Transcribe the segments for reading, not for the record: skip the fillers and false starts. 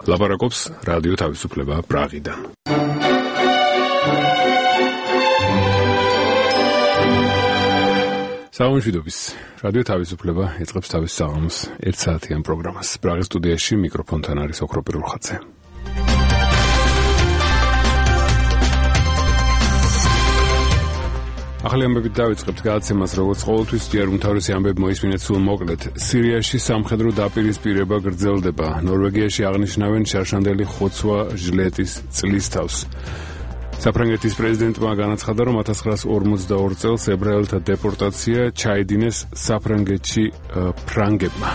ლაპარაკობს რადიო თავისუფლება პრაღიდან. საუბრობთ რადიო თავისუფლება ეწყებს თავის საღამოს 1 საათიან პროგრამას. პრაღის სტუდიაში მიკროფონთან არის ოქრო პირველხაძე. ახალი ამბებით დავიწყებთ გადაცემას, როგორც ყოველთვის ჯერ უმთავრესი ამბები მოისმინეთ სულ მოკლედ. სირიაში სამხედრო დაპირისპირება გრძელდება. ნორვეგიაში აღნიშნავენ შარშანდელი ხოცვა ჟლეტის წლისთავს. საფრანგეთის პრეზიდენტმა განაცხადა, რომ 1942 წელს ებრაელთა დეპორტაცია ჩაიდინეს საფრანგეთში ფრანგებმა.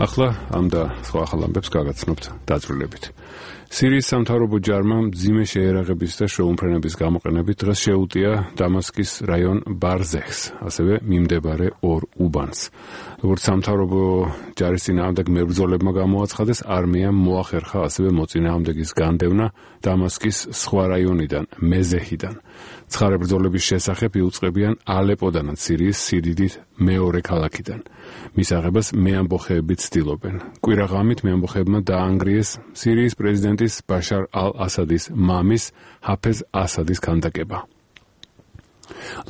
ახლა ამ და სხვა ახალ ამბებს გაგაცნობთ დაწვრილებით. სირიის სამთავრობო ჯარმა მძიმე შეერაღების და შეუმფრენების გამოყენებით დღეს შეუტია დამასკის რაიონ ბარზეხს, ასევე მიმდებარე ორ უბანს. როგორც სამთავრობო ჯარის წინააღმდეგ მებრძოლებმა გამოაცხადეს, არმიამ მოახერხა ასევე მოწინააღმდეგის განდევნა დამასკის სხვა რაიონიდან, მეზეჰიდან. ცხარე ბრძოლების შესახებ იუწყებიან ალეპოდანაც, სირიის სიდიდით მეორე ქალაქიდან. მის აღებას მეამბოხეები ცდილობენ. კვირაღამით მეამბოხეებმა დაანგრიეს სირიის პრეზიდენტის ბაშარ ალ-ასადის მამის ჰაფეზ ასადის ქანდაკება.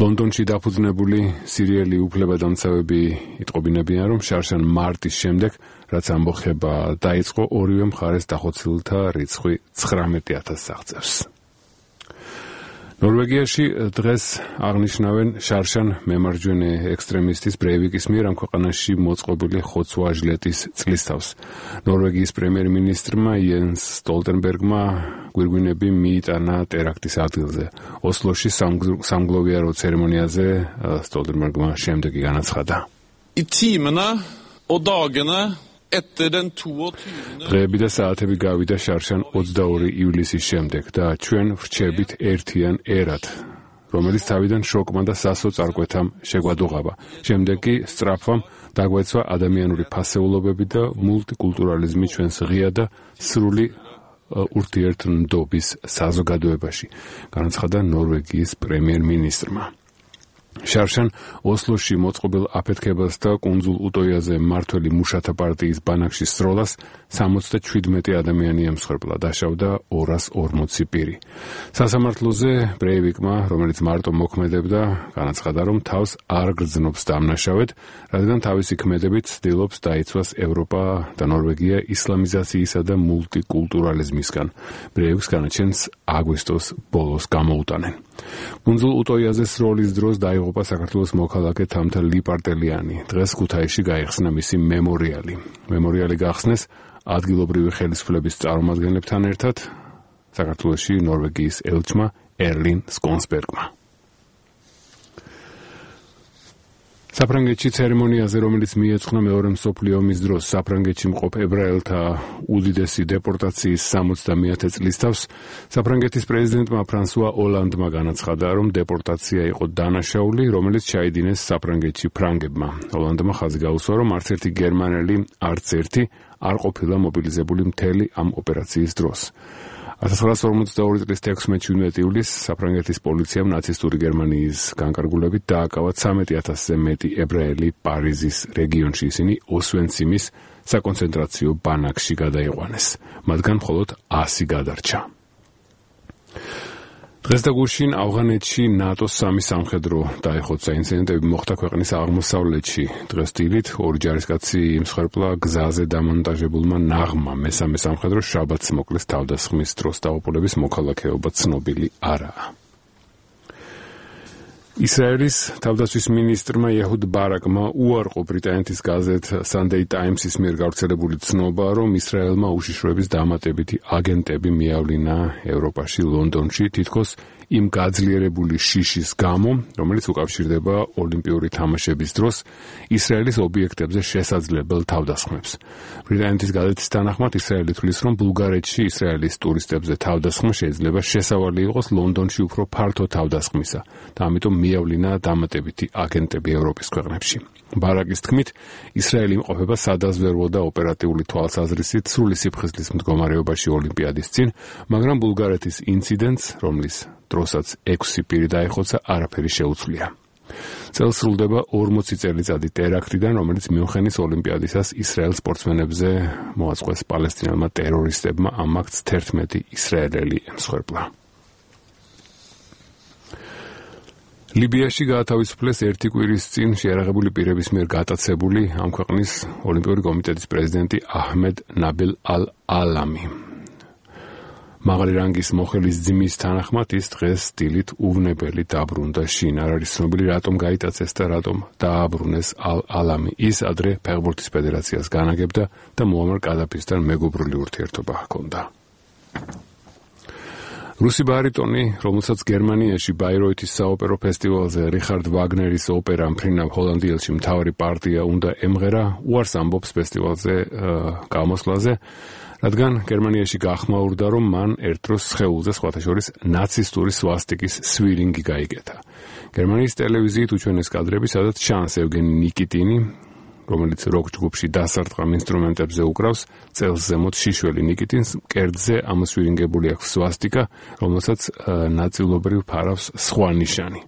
ლონდონში დაფუძნებული სირიელი უფლებადამცავები იტყობინებიან, რომ შარშან მარტის შემდეგ, რაც ამბოხება დაიწყო, ორივე მხარეს დახოცილთა რიცხვი 19,000-ს აღწევს. ნორვეგიაში დღეს აღნიშნავენ შარშან მემარჯვენე ექსტრემისტის ბრეივიკის მიერ ამ ქვეყანაში მოწყობილი ხოცვა ჟლეტის წლისთავს. ნორვეგიის პრემიერ-მინისტრმა იენს სტოლტენბერგმა გვირგვინები მიიტანა ტერაქტის ადგილზე. ოსლოში სამგლოვიარო ცერემონიაზე სტოლტენბერგმა შემდეგი განაცხადა. დღეები და საათები გავიდა შარშან 22 ივლისის შემდეგ და ჩვენ ვრჩებით ერთიან ერად, რომელიც თავიდან შოკმა და სასოწარკვეთამ შეგვადუღავა. შემდეგ კი სწრაფვამ დაგვეცვა ადამიანური ფასეულობები და მულტიკულტურალიზმი ჩვენს ღია და სრული ურთიერთმდობის საზოგადოებაში, განაცხადა ნორვეგიის პრემიერ-მინისტრმა. შარშან ოსლოში მოწყობილ აფეთქებას და კუნძულ უტოიაზე მმართველი მუშათა პარტიის ბანაკში სროლას 77 ადამიანი ემსხვერპლა, დაშავდა 240 პირი. სასამართლოზე ბრეივიკმა, რომელიც მარტო მოქმედებდა, განაცხადა, რომ თავს არ გრძნობს დამნაშავედ, რადგან თავისი ქმედებით ცდილობს დაიცვას ევროპა და ნორვეგია ისლამიზაციისა და მულტიკულტურალიზმისგან. ბრეივიკს განაჩენს აგვისტოს ბოლოს გამოუტანენ. კუნძულ უტოიაზე სროლის დროს დაიღუპა საქართველოს მოქალაქე თამთა ლიპარტელიანი. დღეს ქუთაისში გაიხსნა მისი მემორიალი. მემორიალი გახსნეს ადგილობრივი ხელისუფლების წარმომადგენლებთან ერთად საქართველოში ნორვეგიის ელჩმა ერლინ სკონსბერგმა. საფრანგეთში ცერემონიაზე, რომელიც მიეძღვნა მეორე მსოფლიო ომის დროს საფრანგეთში მყოფ ებრაელთა უდიდესი დეპორტაციის 60-ე წლისთავს, საფრანგეთის პრეზიდენტმა ფრანსუა ოლანდმა განაცხადა, რომ დეპორტაცია იყო დანაშაული, რომელიც ჩაიდინეს საფრანგეთში ფრანგებმა. ოლანდმა ხაზი გაუსვა, რომ არც ერთი გერმანელი, არც ერთი არ ყოფილა მობილიზებული მთელი ამ ოპერაციის დროს. 1942 წლის 16 ივლისს საფრანგეთის პოლიციამ ნაცისტური გერმანიის განკარგულებით დააკავა 13,000-ზე მეტი ებრაელი პარიზის რეგიონში. ისინი ოსვენციმის საკონცენტრაციო ბანაკში გადაიყვანეს. მათგან მხოლოდ 100 გადარჩა. დღეს და გუშინ ავღანეთში ნატოს 3 სამხედრო დაეხოცა. ინციდენტები მოხდა ქვეყნის აღმოსავლეთში. დღეს დილით ორი ჯარისკაცი იმსხვერპლა გზაზე დამონტაჟებულმა ნაღმა. მესამე სამხედრო შაბათს მოკლეს თავდასხმის დროს. დაუყოლების მოქალაქეობა ცნობილი არაა. ისრაელის თავდაცვის მინისტრმა იეჰუდ ბარაკმა უარყო ბრიტანეთის გაზეთ Sunday Times-ის მიერ გავრცელებული ცნობა, რომ ისრაელმა უშიშროების დამატებითი აგენტები მიავლინა ევროპაში, ლონდონში, თითქოს იმ გაძლიერებული შიშის გამო, რომელიც უკავშირდება ოლიმპიური თამაშების დროს ისრაელის ობიექტებზე შესაძლებელ თავდასხმებს. ბრიტანეთის გაზეთის თანახმად ისრაელი თვლის, რომ ბულგარეთში ისრაელის ტურისტებზე თავდასხმა შეიძლება შესავალი იყოს ლონდონში უფრო ფართო თავდასხმისა და ამიტომ მიავლინა დამატებითი აგენტები ევროპის ქვეყნებში. ბარაკის თქმით, ისრაელი იმყოფება სადაზვერვო და ოპერატიული თვალსაზრისით სრული სიფხიზლის მდგომარეობაში ოლიმპიადის წინ, მაგრამ ბულგარეთის ინციდენტს, რომლის დროსაც 6 პირი დაეხოცა, არაფერი შეუცვლია. წელს სრულდება 40 წელიწადი ტერაქტიდან, რომელიც მიუნხენის ოლიმპიადისას ისრაელ სპორტსმენებზე მოაწყვეს პალესტინელმა ტერორისტებმა, ამ აქტს 11 ისრაელელი ემსხვერპლა. ლიბიაში გაათავისუფლეს 1 კვირის წინ შეიარაღებული პირების მიერ გატაცებული ამ ქვეყნის ოლიმპიური კომიტეტის პრეზიდენტი აჰმედ ნაბილ ალ-ალამი. მაღალი რანგის მოხელის ძმის თანახმად ის დღეს დილით უვნებელი დაბრუნდა შინ. არ არის ცნობილი რატომ გაიტაცეს და რატომ დააბრუნეს ალ-ალამი. ის ადრე ფეხბურთის ფედერაციას განაგებდა და მუამარ კადაფისთან მეგობრული ურთიერთობა ჰქონდა. რუსი ბარიტონი, რომელსაც გერმანიაში ბაიროითის საოპერო ფესტივალზე რიხარდ ვაგნერის ოპერა მფრინავ ჰოლანდიელში მთავარი პარტია უნდა ემღერა, უარს ამბობს ფესტივალზე გამოსვლაზე, რადგან გერმანიაში გახმაურდა, რომ მან ერთ დროს სხეულზე სხვათა შორის ნაცისტური სვასტიკის სვირინგი გაიგეთა. გერმანიის ტელევიზიით უჩვენეს კადრები, სადაც ჩანს ევგენი ნიკიტინი, რომელიც როკ ჯგუფში დასარტყამ ინსტრუმენტებზე უკრავს, წელს ზემოთ შიშველი ნიკიტინს მკერდზე ამოსვირინგებული აქვს სვასტიკა, რომელსაც ნაწილობრივ ფარავს სხვა ნიშანი.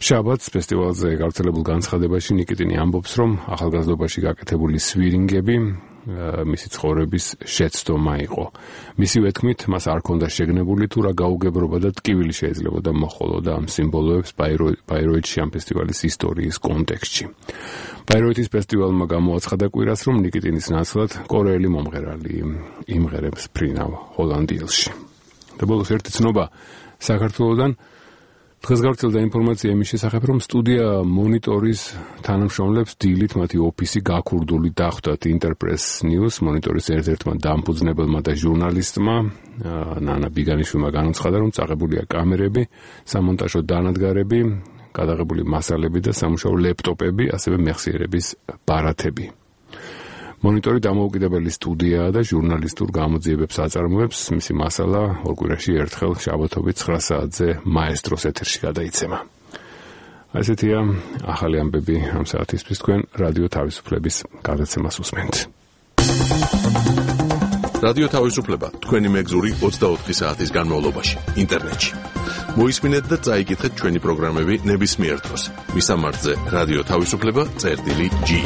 შაბათს ფესტივალზე გავრცელებულ განცხადებაში ნიკიტინი ამბობს, რომ ახალგაზრდობაში გაკეთებული სვირინგები მისი ცხოვრების შეცდომა იყო. მისივე თქმით, მას არ ჰქონდა შეგნებული თუ რა გაუგებრობა და ტკივილი შეიძლებოდა მოჰყოლოდა ამ სიმბოლოებს ბაიროითში ამ ფესტივალის ისტორიის კონტექსტში. ბაიროითის ფესტივალმა გამოაცხადა კვირას, რომ ნიკიტინის ნაცვლად კორეელი მომღერალი იმღერებს ფრინავ ჰოლანდიელში. და ბოლოს ერთი ცნობა საქართველოდან. დღეს გავრცელდა ინფორმაცია იმის შესახებ, რომ სტუდია მონიტორის თანამშრომლებს დილით მათი ოფისი გაქურდული დახვდათ ინტერპრეს ნიუს მონიტორის ერთ-ერთმა დამფუძნებელმა და ჟურნალისტმა ნანა ბიგანიშვილმა განაცხადა, რომ წაღებულია კამერები, სამონტაჟო დანადგარები, გადაღებული მასალები და სამუშაო ლეპტოპები, ასევე მეხსიერების ბარათები. მონიტორი დამოუკიდებელი სტუდიაა და ჟურნალისტურ გამოძიებებს აწარმოებს. მისი მასალა ორ კვირაში ერთხელ შაბათობით 9 საათზე მაესტროს ეთერში გადაიცემა. ასეთია ახალი ამბები ამ საათისთვის. თქვენ რადიო თავისუფლების გადაცემას უსმენთ. რადიო თავისუფლება თქვენი მეგზური 24 საათის განმავლობაში ინტერნეტში. მოისმინეთ და წაიკითხეთ ჩვენი პროგრამები ნებისმიერ დროს. მისამართზე რადიო თავისუფლება.ge.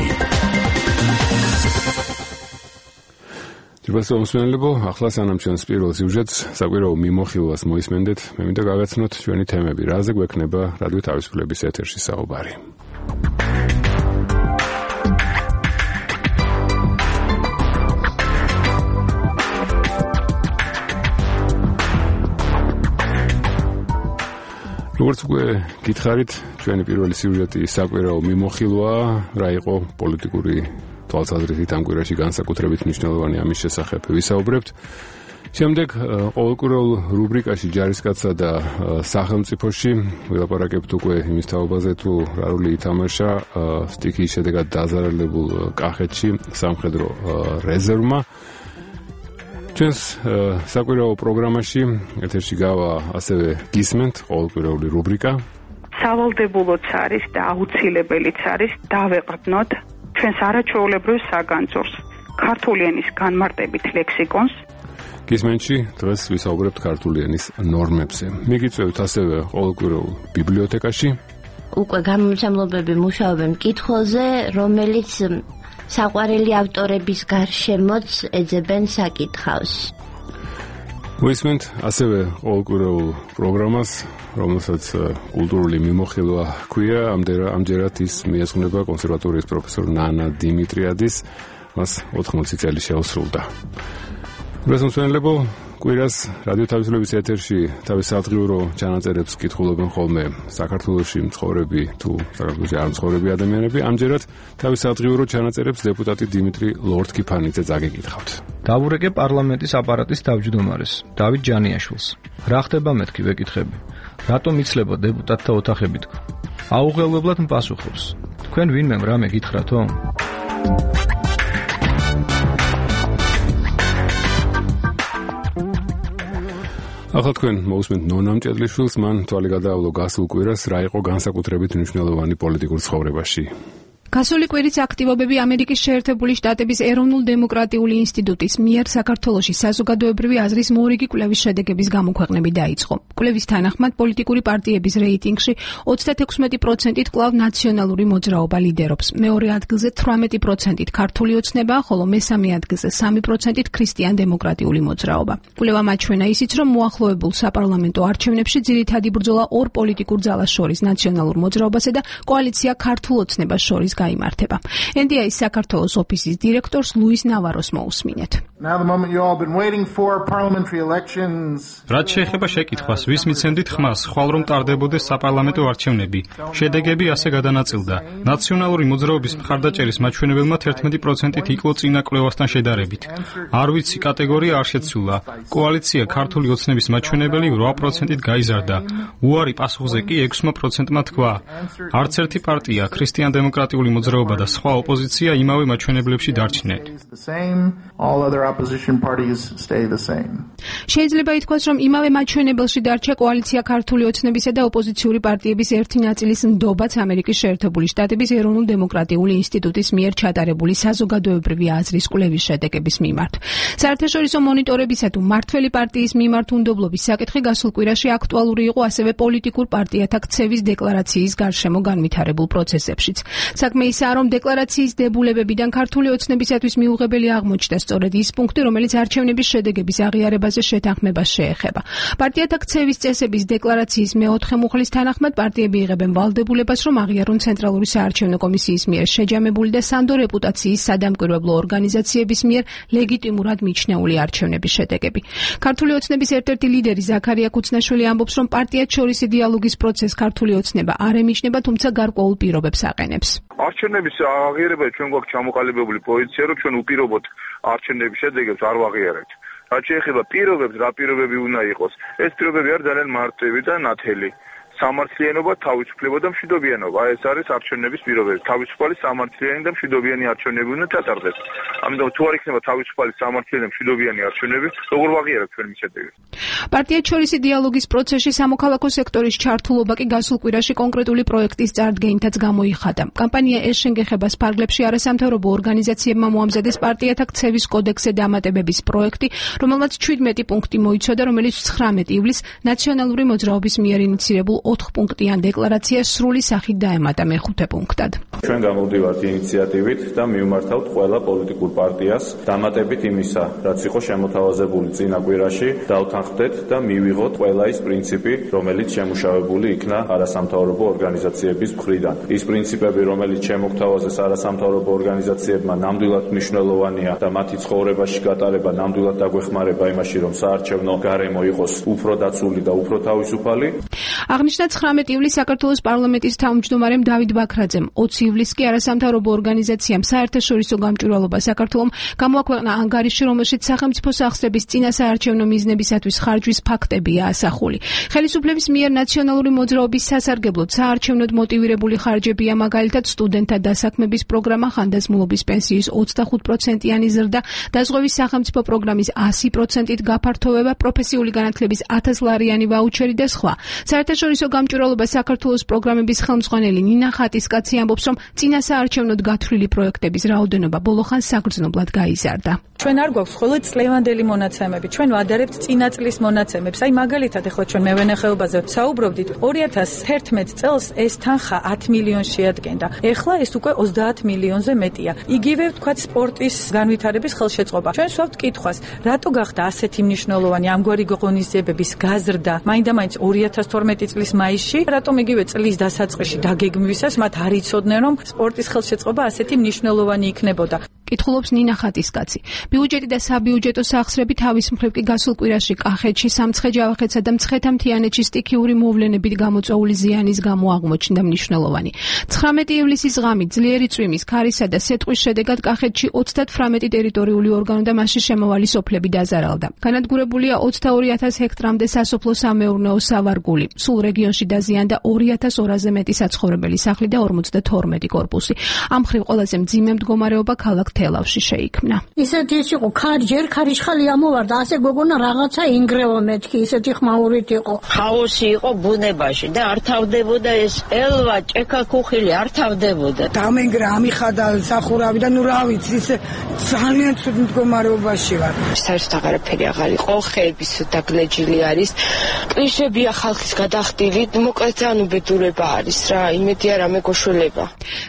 ჯერ მოსმენელებო, ახლა სანამ ჩვენს პირველ სიუჟეტს საკვირაო მიმოხილვას მოისმენდეთ, მე მინდა გავაცნოთ ჩვენი თემები, რაზე გვექნება რადიო თავისუფლების ეთერში საუბარი. როგორც უკვე გითხარით, ჩვენი პირველი სიუჟეტი საკვირაო მიმოხილვაა, რა იყო პოლიტიკური თვალსაზრისით ამ კვირაში განსაკუთრებით მნიშვნელოვანი ამის შესახებ ვისაუბრებთ. შემდეგ ყოველკვირეულ რუბრიკაში ჯარისკაცსა და სახელმწიფოში ვილაპარაკებთ უკვე იმის თაობაზე, თუ რა როლი ითამაშა სტიქიის შედეგად დაზარალებულ კახეთში სამხედრო რეზერვმა. ჩვენს საკვირაო პროგრამაში ეთერში გავა ასევე გისმენთ ყოველკვირეული რუბრიკა. სავალდებულოც არის და აუცილებელიც არის დავეყრდნოთ ჩვენს არაჩვეულებრივ საგანძურს, ქართული ენის განმარტებით ლექსიკონს. გისმენში დღეს ვისაუბრებთ ქართული ენის ნორმებზე. მიგიწევთ ასევე ყოველკვირეულ ბიბლიოთეკაში. უკვე გამომცემლობები მუშაობენ მკითხველზე, რომელიც საყვარელი ავტორების გარშემოც ეძებენ საკითხავს. მოისმენთ ასევე ყოველკვირეულ პროგრამას, რომელსაც კულტურული მიმოხილვა ჰქვია. ამჯერად ის მიეძღვნება კონსერვატორიის პროფესორ ნანა დიმიტრიადის, მას 80 წელი შეუსრულდა. მოსმენელებო, კვირას რადიო თავისუფლების ეთერში თავის სადღიურო ჩანაწერებს კითხულობენ ხოლმე საქართველოში მცხოვრები თუ საქართველოში არ მცხოვრები ადამიანები. ამჯერად თავის სადღიურო ჩანაწერებს დეპუტატი დიმიტრი ლორთქიფანიძე წაგეკითხავთ. დავურეკე პარლამენტის აპარატის თავმჯდომარეს დავით ჯანიაშვილს. რა ხდება მეთქი ვეკითხები? რატომ იცლება დეპუტატთა ოთახები თქვა? აუღელებლად მპასუხობს. თქვენ ვინმე რამე გითხრათო? ახლა თქვენ მოусმენთ ნონა მჭედლიშვილს, მან თვალი გადაავლო გასულ კვირას რა იყო განსაკუთრებით მნიშვნელოვანი პოლიტიკურ ცხოვრებაში. გასული კვირის აქტივობები ამერიკის შეერთებული შტატების ეროვნულ-დემოკრატიული ინსტიტუტის მიერ საქართველოში საზოგადოებრივი აზრის მორიგი კვლევის შედეგების გამოქვეყნებით დაიწყო. კვლევის თანახმად პოლიტიკური პარტიების რეიტინგში 36%-ით კვლავ ნაციონალური მოძრაობა ლიდერობს. მეორე ადგილზე 18%-ით ქართული ოცნება, ხოლო მესამე ადგილზე 3%-ით ქრისტიან-დემოკრატიული მოძრაობა. კვლევამ აჩვენა ისიც, რომ მოახლოებულ საპარლამენტო არჩევნებში ძირითადი ბრძოლა ორ პოლიტიკურ ძალას შორის, ნაციონალურ მოძრაობასა და კოალიცია ქართულ ოცნებას შორის გაიმართება. NDI-ის საქართველოს ოფისის დირექტორს ლუის ნავაროს მოусმინეთ. რაც შეეხება შეკითხვას, ვის მიცემდით ხმას, ხვალ რომ ტარდებოდეს საპარლამენტო არჩევნები. შედეგები ასე გადანაწილდა. ნაციონალური მოძრაობის მხარდაჭერის მაჩვენებელმა 11%-ით იკლო წინა კვლევასთან შედარებით. არ ვიცი კატეგორია არ შეცვლა. კოალიცია ქართული ოცნების მაჩვენებელი 8%-ით გაიზარდა. უარი პასუხზე კი 6%-მა თქვა. არც ერთი პარტია ქრისტიან-დემოკრატიული მოძრაობა და სხვა ოპოზიცია იმავე მაჩვენებლებში დარჩნენ. შეიძლება ითქვას, რომ იმავე მაჩვენებელში დარჩა კოალიცია ქართული ოცნებისა და ოპოზიციური პარტიების ერთი ნაწილის ნდობაც ამერიკის შეერთებული შტატების ეროვნულ-დემოკრატიული ინსტიტუტის მიერ ჩატარებული საზოგადოებრივი აზრის კვლევის შედეგების მიმართ. საერთაშორისო მონიტორებისა თუ მმართველი პარტიის მიმართ უნდობლობის საკითხი გასულ კვირაში აქტუალური იყო ასევე პოლიტიკურ პარტიათა ქცევის დეკლარაციის გარშემო განვითარებულ პროცესებშიც. საქმე ისაა, რომ დეკლარაციის დებულებებიდან ქართული ოცნებისათვის მიუღებელი აღმოჩნდა სწორედ ის პუნქტი, რომელიც არჩევნების შედეგების აღიარებაზე შეთანხმებას შეეხება. პარტიათა ქცევის წესების დეკლარაციის მეოთხე მუხლის თანახმად პარტიები იღებენ ვალდებულებას, რომ აღიარონ ცენტრალური საარჩევნო კომისიის მიერ შეჯამებული და სანდო რეპუტაციის სადამკვირვებლო ორგანიზაციების მიერ ლეგიტიმურად მიჩნეული არჩევნების შედეგები. ქართული ოცნების ერთ-ერთი ლიდერი ზაქარია ქუცნაშვილი ამბობს, რომ პარტიათ შორის დიალოგის პროცესს ქართული ოცნება არ ემიჯნება, თუმცა გარკვეულ პირობებს აყენებს. არჩევნების აღიარება ჩვენ გვაქვს ჩამოყალიბებული პოზიცია, რომ ჩვენ უპირობოდ არჩევნების შედეგებს არ ვაღიარებთ. რაც შეეხება პირობებს, რა პირობები უნდა იყოს, ეს პირობები არის ძალიან მარტივი და ნათელი. სამართლიანობა, თავისუფლება და მშვიდობიანობა. ეს არის არჩევნების პირობები. თავისუფალი, სამართლიანი და მშვიდობიანი არჩევნები უნდა ჩატარდეს. ამიტომ თუ არ იქნება თავისუფალი, სამართლიანი და მშვიდობიანი არჩევნები, როგორ ვაღიარებთ ჩვენ მის შედეგებს? პარტიათ შორისი დიალოგის პროცესში სამოქალაქო სექტორის ჩართულობა კი გასულ კვირაში კონკრეტული პროექტის წარდგენითაც გამოიხადა. კამპანია ეს შენგეხებას ფარგლებში არასამთავრობო ორგანიზაციებმა მოამზადეს პარტიათა ქცევის კოდექსზე დამატებების პროექტი, რომელმაც 17 პუნქტი მოიცოდა, რომელიც 19 ივლისს ნაციონალური მოძრაობის მიერ ინიცირებულ 4 პუნქტიან დეკლარაციას სრული სახით დაემატა მეხუთე პუნქტად. ჩვენ გამოვდივართ ინიციატივით და მივმართავთ ყველა პოლიტიკურ პარტიას დამატებით იმისა, რაც იყო შემოთავაზებული წინა კვირაში, დავთანხმდეთ და მივიღოთ ყველა ის პრინციპი, რომელიც შემუშავებული იქნა არასამთავრობო ორგანიზაციების მხრიდან. ის პრინციპები, რომელიც შემოგთავაზეს არასამთავრობო ორგანიზაციებმა, ნამდვილად მნიშვნელოვანია და მათი ცხოვრებაში გატარება ნამდვილად დაგვეხმარება იმაში, რომ საარჩევნო გარემო იყოს უფრო დაცული და უფრო თავისუფალი. აღნიშნა 19 ივლისს საქართველოს პარლამენტის თავმჯდომარემ დავით ბაქრაძემ, 20 ივლისს კი არასამთავრობო ორგანიზაციამ საერთაშორისო გამჭვირვალობა საქართველომ გამოაქვეყნა ანგარიში, რომელშიც სახელმწიფო სახსრების წინა საარჩევნო მიზნებისათვის ხარჯვის ფაქტებია ასახული. ხელისუფლების მიერ ნაციონალური მოძრაობის სასარგებლოდ საარჩევნოდ მოტივირებული ხარჯებია მაგალითად სტუდენტთა დასაქმების პროგრამა, ხანდაზმულობის პენსიის 25%-იანი ზრდა, დაზღვევის სახელმწიფო პროგრამის 100%-ით გაფართოვება, პროფესიული განათლების 1000 ლარიანი ვაუჩერი და სხვა. საერთაშორისო გამჭვირვალობა საქართველოს პროგრამების ხელმძღვანელი ნინა ხატისკაცი ამბობს, რომ წინა საარჩევნოდ გათვლილი პროექტების რაოდენობა ბოლოხან საგრძნობლად გაიზარდა. ჩვენ არ გვაქვს მხოლოდ წლევანდელი მონაცემები, ჩვენ ვადარებთ წინა წლის მონაცემებს. აი მაგალითად ახლა ჩვენ მევენახეობაზე საუბრობდით, 2011 წელს ეს თანხა 10 მილიონს შეადგენდა. ეხლა ეს უკვე 30 მილიონზე მეტია. იგივე ვთქვათ სპორტის განვითარების ხელშეწყობა. ჩვენ სვავთ კითხვას, რატო გახდა ასეთი მნიშვნელოვანი ამგვარი ღონისძიებების გაზრდა მაინდა-მაინც 2012 წლის მაისში, რატომ იგივე წლის დასაწყისში დაგეგმვისას მათ არ იცოდნენ, რომ სპორტის ხელშეწყობა ასეთი მნიშვნელოვანი იქნებოდა. კითხულობს ნინა ხატისკაცი. ბიუჯეტი და საბიუჯეტო სახსრები თავის მხრივ კი გასულ კვირაში კახეთში, სამცხე-ჯავახეთსა და მცხეთა-მთიანეთში სტიქიური მოვლენებით გამოწვეული ზიანის გამო აღმოჩნდა მნიშვნელოვანი. 19 ივლისის ღამით ძლიერი წვიმის, ქარისა და სეტყვის შედეგად კახეთში 38 ტერიტორიული ორგანო და მასში შემავალი სოფლები დაზარალდა. განადგურებულია 22,000 ჰექტრამდე სასოფლო-სამეურნეო სავარგული. სულ რეგიონში დაზიანდა 2,200-ზე მეტი საცხოვრებელი სახლი და 52 კორპუსი. ამ მხრივ ყველაზე მძიმე მდგომარეობა ქალაქ თელავში შეიქმნა. ისეთი ის იყო, ჯერ ქარიშხალი ამოვარდა, ასე გოგონა რაღაცა ინგრევა მეთქი, ისეთი ხმაურით იყო. ხაოსი იყო ბუნებაში და არ თავდებოდა ეს ელვა, ჭექა ქუხილი არ თავდებოდა. დამენგრა ამიხადა სახურავი და ნუ რა ვიცი, ისე ძალიან ცუდ მდგომარეობაში ვარ. საერთოდ აღარაფერი აღარ იყო, ხეები დაგლეჯილი არის. კლიშებია ხალხის გადახდილი, მოკლედ ძალიან უბედურება არის რა, იმედი არ ამეგოშველება.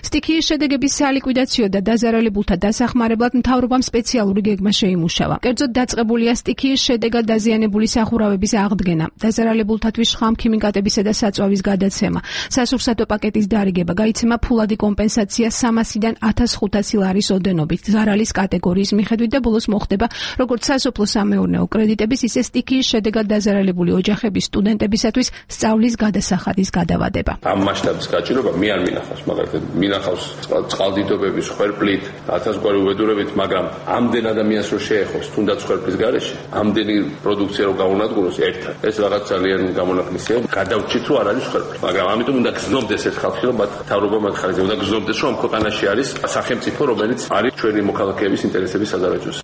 სტიქიის შედეგების სალიკვიდაციო და დაზარალებულთა დასახმარებლად მთავრობამ სპეციალური გეგმა შეიმუშავა. კერძოდ დაწყებულია სტიქიის შედეგად დაზიანებული სახურავების აღდგენა, დაზარალებულთათვის შხამქიმიკატებისა და საწვავის გადაცემა, სასურსათო პაკეტის დარიგება, გაიცემა ფულადი კომპენსაცია 300-დან 1,500 ლარის ოდენობით ზარალის კატეგორიის მიხედვით და ბოლოს მოხდება როგორც სასოფლო-სამეურნეო კრედიტების, ისე სტიქიის შედეგად დაზარალებული ოჯახების სტუდენტებისათვის სწავლის გადასახადის გადავადება. ამ მასშტაბის გაჭირვება მე არ მინახავს, მაგალითად მინახავს წყალდიდობების ხვერპლით, 1000 გვარი უბედურებით, მაგრამ ამდენ ადამიანს რო შეეხოს, თუნდაც ხვერპლის გარეშე, ამდენი პროდუქცია რო გაუნადგუროს ერთად. ეს რაღაც ძალიან გამონაკლისია. გადავჭით რომ არ არის ხვერპლი, მაგრამ ამიტომ უნდა გზნობდეს ეს ხალხი, რომ მთავრობა მათ ხარჯზე უნდა გზნობდეს, რომ ამ ქვეყანაში არის სახელმწიფო, რომელიც არის ჩვენი მოქალაქეების ინტერესების სადარაჯოზე.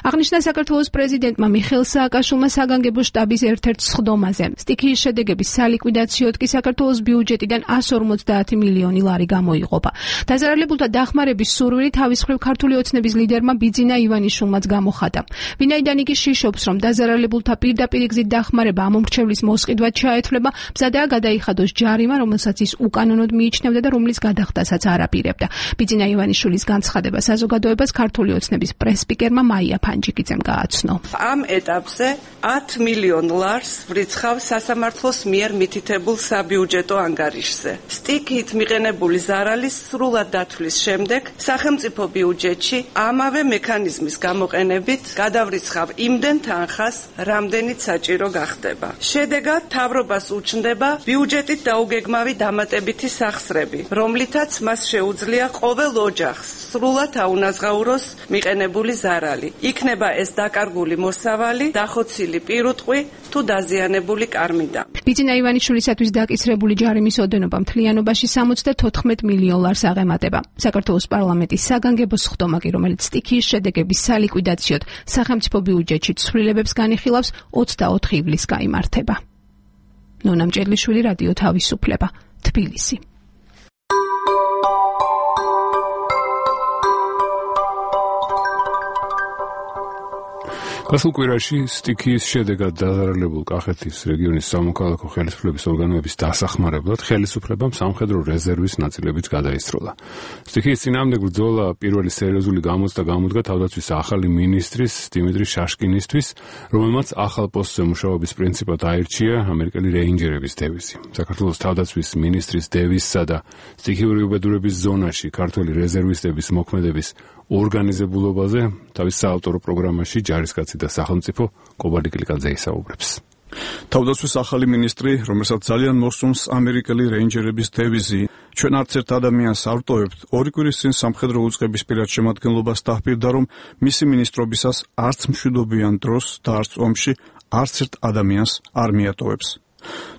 აღნიშნა საქართველოს პრეზიდენტმა მიხეილ სააკაშვილმა საგანგებო შტაბის ერთ-ერთ სხდომაზე. სტიქიის შედეგების სალიკვიდაციოდ კი საქართველოს ბიუჯეტიდან 150 მილიონი ლარი გამოიყოფა. დაზარალებულთა დახმარების სურვილი თავის მხრივ ქართული ოცნების ლიდერმა ბიძინა ივანიშვილმაც გამოხატა. ვინაიდან იგი შიშობს, რომ დაზარალებულთა პირდაპირ გზით დახმარება ამ უმრჩევლის მოსყიდვად ჩაეთვლება, მზადაა გადაიხადოს ჯარიმა, რომელსაც ის უკანონოდ მიიჩნევდა და რომლის გადახდასაც არ აპირებდა. ბიძინა ივანიშვილის განცხადება საზოგადოებას ქართული ოცნების პრესპიკერმა მაია ფანჯიკიძემ გააცნო. ამ ეტაპზე 10 მილიონ ლარს ვრიცხავ სასამართლოს მიერ მითითებულ საბიუჯეტო ანგარიშზე. სტიქიით მიყენებული ზარალის სრულად დათვლის შემდეგ სახელმწიფო ბიუჯეტში ამავე მექანიზმის გამოყენებით გადავრიცხავ იმდენ თანხას, რამდენიც საჭირო გახდება. შედეგად მთავრობას უჩნდება ბიუჯეტით დაუგეგმავი დამატებითი სახსრები, რომლითაც მას შეუძლია ყოველ ოჯახს სრულად აუნაზღაუროს მიყენებული ზარალი. იქნება ეს დაკარგული მოსავალი, დახოცილი პირუტყვი თუ დაზიანებული კარმიდა. ბიძინა ივანიშვილისათვის დაკისრებული ჯარიმის ოდენობა მთლიანობაში 74 მილიონ ლარს აღემატება. საქართველოს პარლამენტის საგანგებო სხდომა კი, რომელიც სტიქიის შედეგების სალიკვიდაციოდ სახელმწიფო ბიუჯეტში ცვლილებებს განიხილავს, 24 ივლისს გაიმართება. ნონა მჭედლიშვილი, რადიო თავისუფლება, თბილისი. გასულ კვირაში სტიქიის შედეგად დაზარალებულ კახეთის რეგიონის სამოქალაქო ხელისუფლების ორგანოების დასახმარებლად ხელისუფლებამ სამხედრო რეზერვის ნაწილებიც გადაისროლა. სტიქიის წინააღმდეგ ბრძოლა პირველი სერიოზული გამოცდა გამოდგა თავდაცვის ახალი მინისტრის დიმიტრი შაშკინისთვის, რომელმაც ახალ პოსტზე მუშაობის პრინციპად აირჩია ამერიკელი რეინჯერების დევიზი. საქართველოს თავდაცვის მინისტრის დევიზსა და სტიქიური უბედურების ზონაში ქართველი რეზერვისტების მოქმედების ორგანიზებულობაზე თავის საავტორო პროგრამაში ჯარისკაცი და სახელმწიფო კობარდი კილიკაძე ისაუბრებს. თავდაცვის ახალი მინისტრი, რომელსაც ძალიან მოსწონს ამერიკელი რეინჯერების დევიზი, ჩვენ არც ერთ ადამიანს არ ვტოვებთ, 2 კვირის წინ სამხედრო უწყების პირად შემადგენლობას დაჰპირდა, რომ მისი მინისტრობისას არც მშვიდობიან დროს და არც ომში არც ერთ ადამიანს არ მიატოვებს.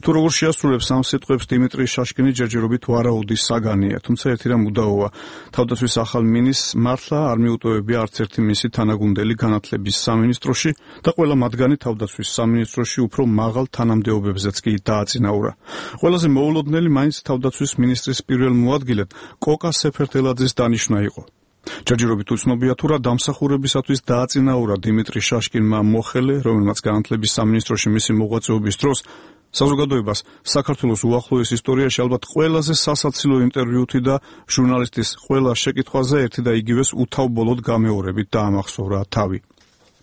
თუ როგორ შეასრულებს ამ სიტყვებს დიმიტრი შაშკინი ჯერჯერობით ვარაუდის საგანია, თუმცა ერთი რამ უდაოა, თავდაცვის ახალ მინისტრს მართლა არ მიუტოვებია არც ერთი მისი თანაგუნდელი განათლების სამინისტროში და ყველა მათგანი თავდაცვის სამინისტროში უფრო მაღალ თანამდებობებზეც კი დააწინაურა. ყველაზე მოულოდნელი მაინც თავდაცვის მინისტრის პირველ მოადგილედ კოკა სეფერთელაძის დანიშვნა იყო. ჯერჯერობით უცნობია თუ რა დამსახურებისათვის დააწინაურა დიმიტრი შაშკინმა მოხელე, რომელმაც განათლების სამინისტროში მისი მოღვაწეობის დროს საზოგადოებას საქართველოს უახლოეს ისტორიაში ალბათ ყველაზე სასაცილო ინტერვიუთი და ჟურნალისტის ყველა შეკითხვაზე ერთი და იგივეს უთავბოლოდ გამეორებით დაამახსოვრა თავი.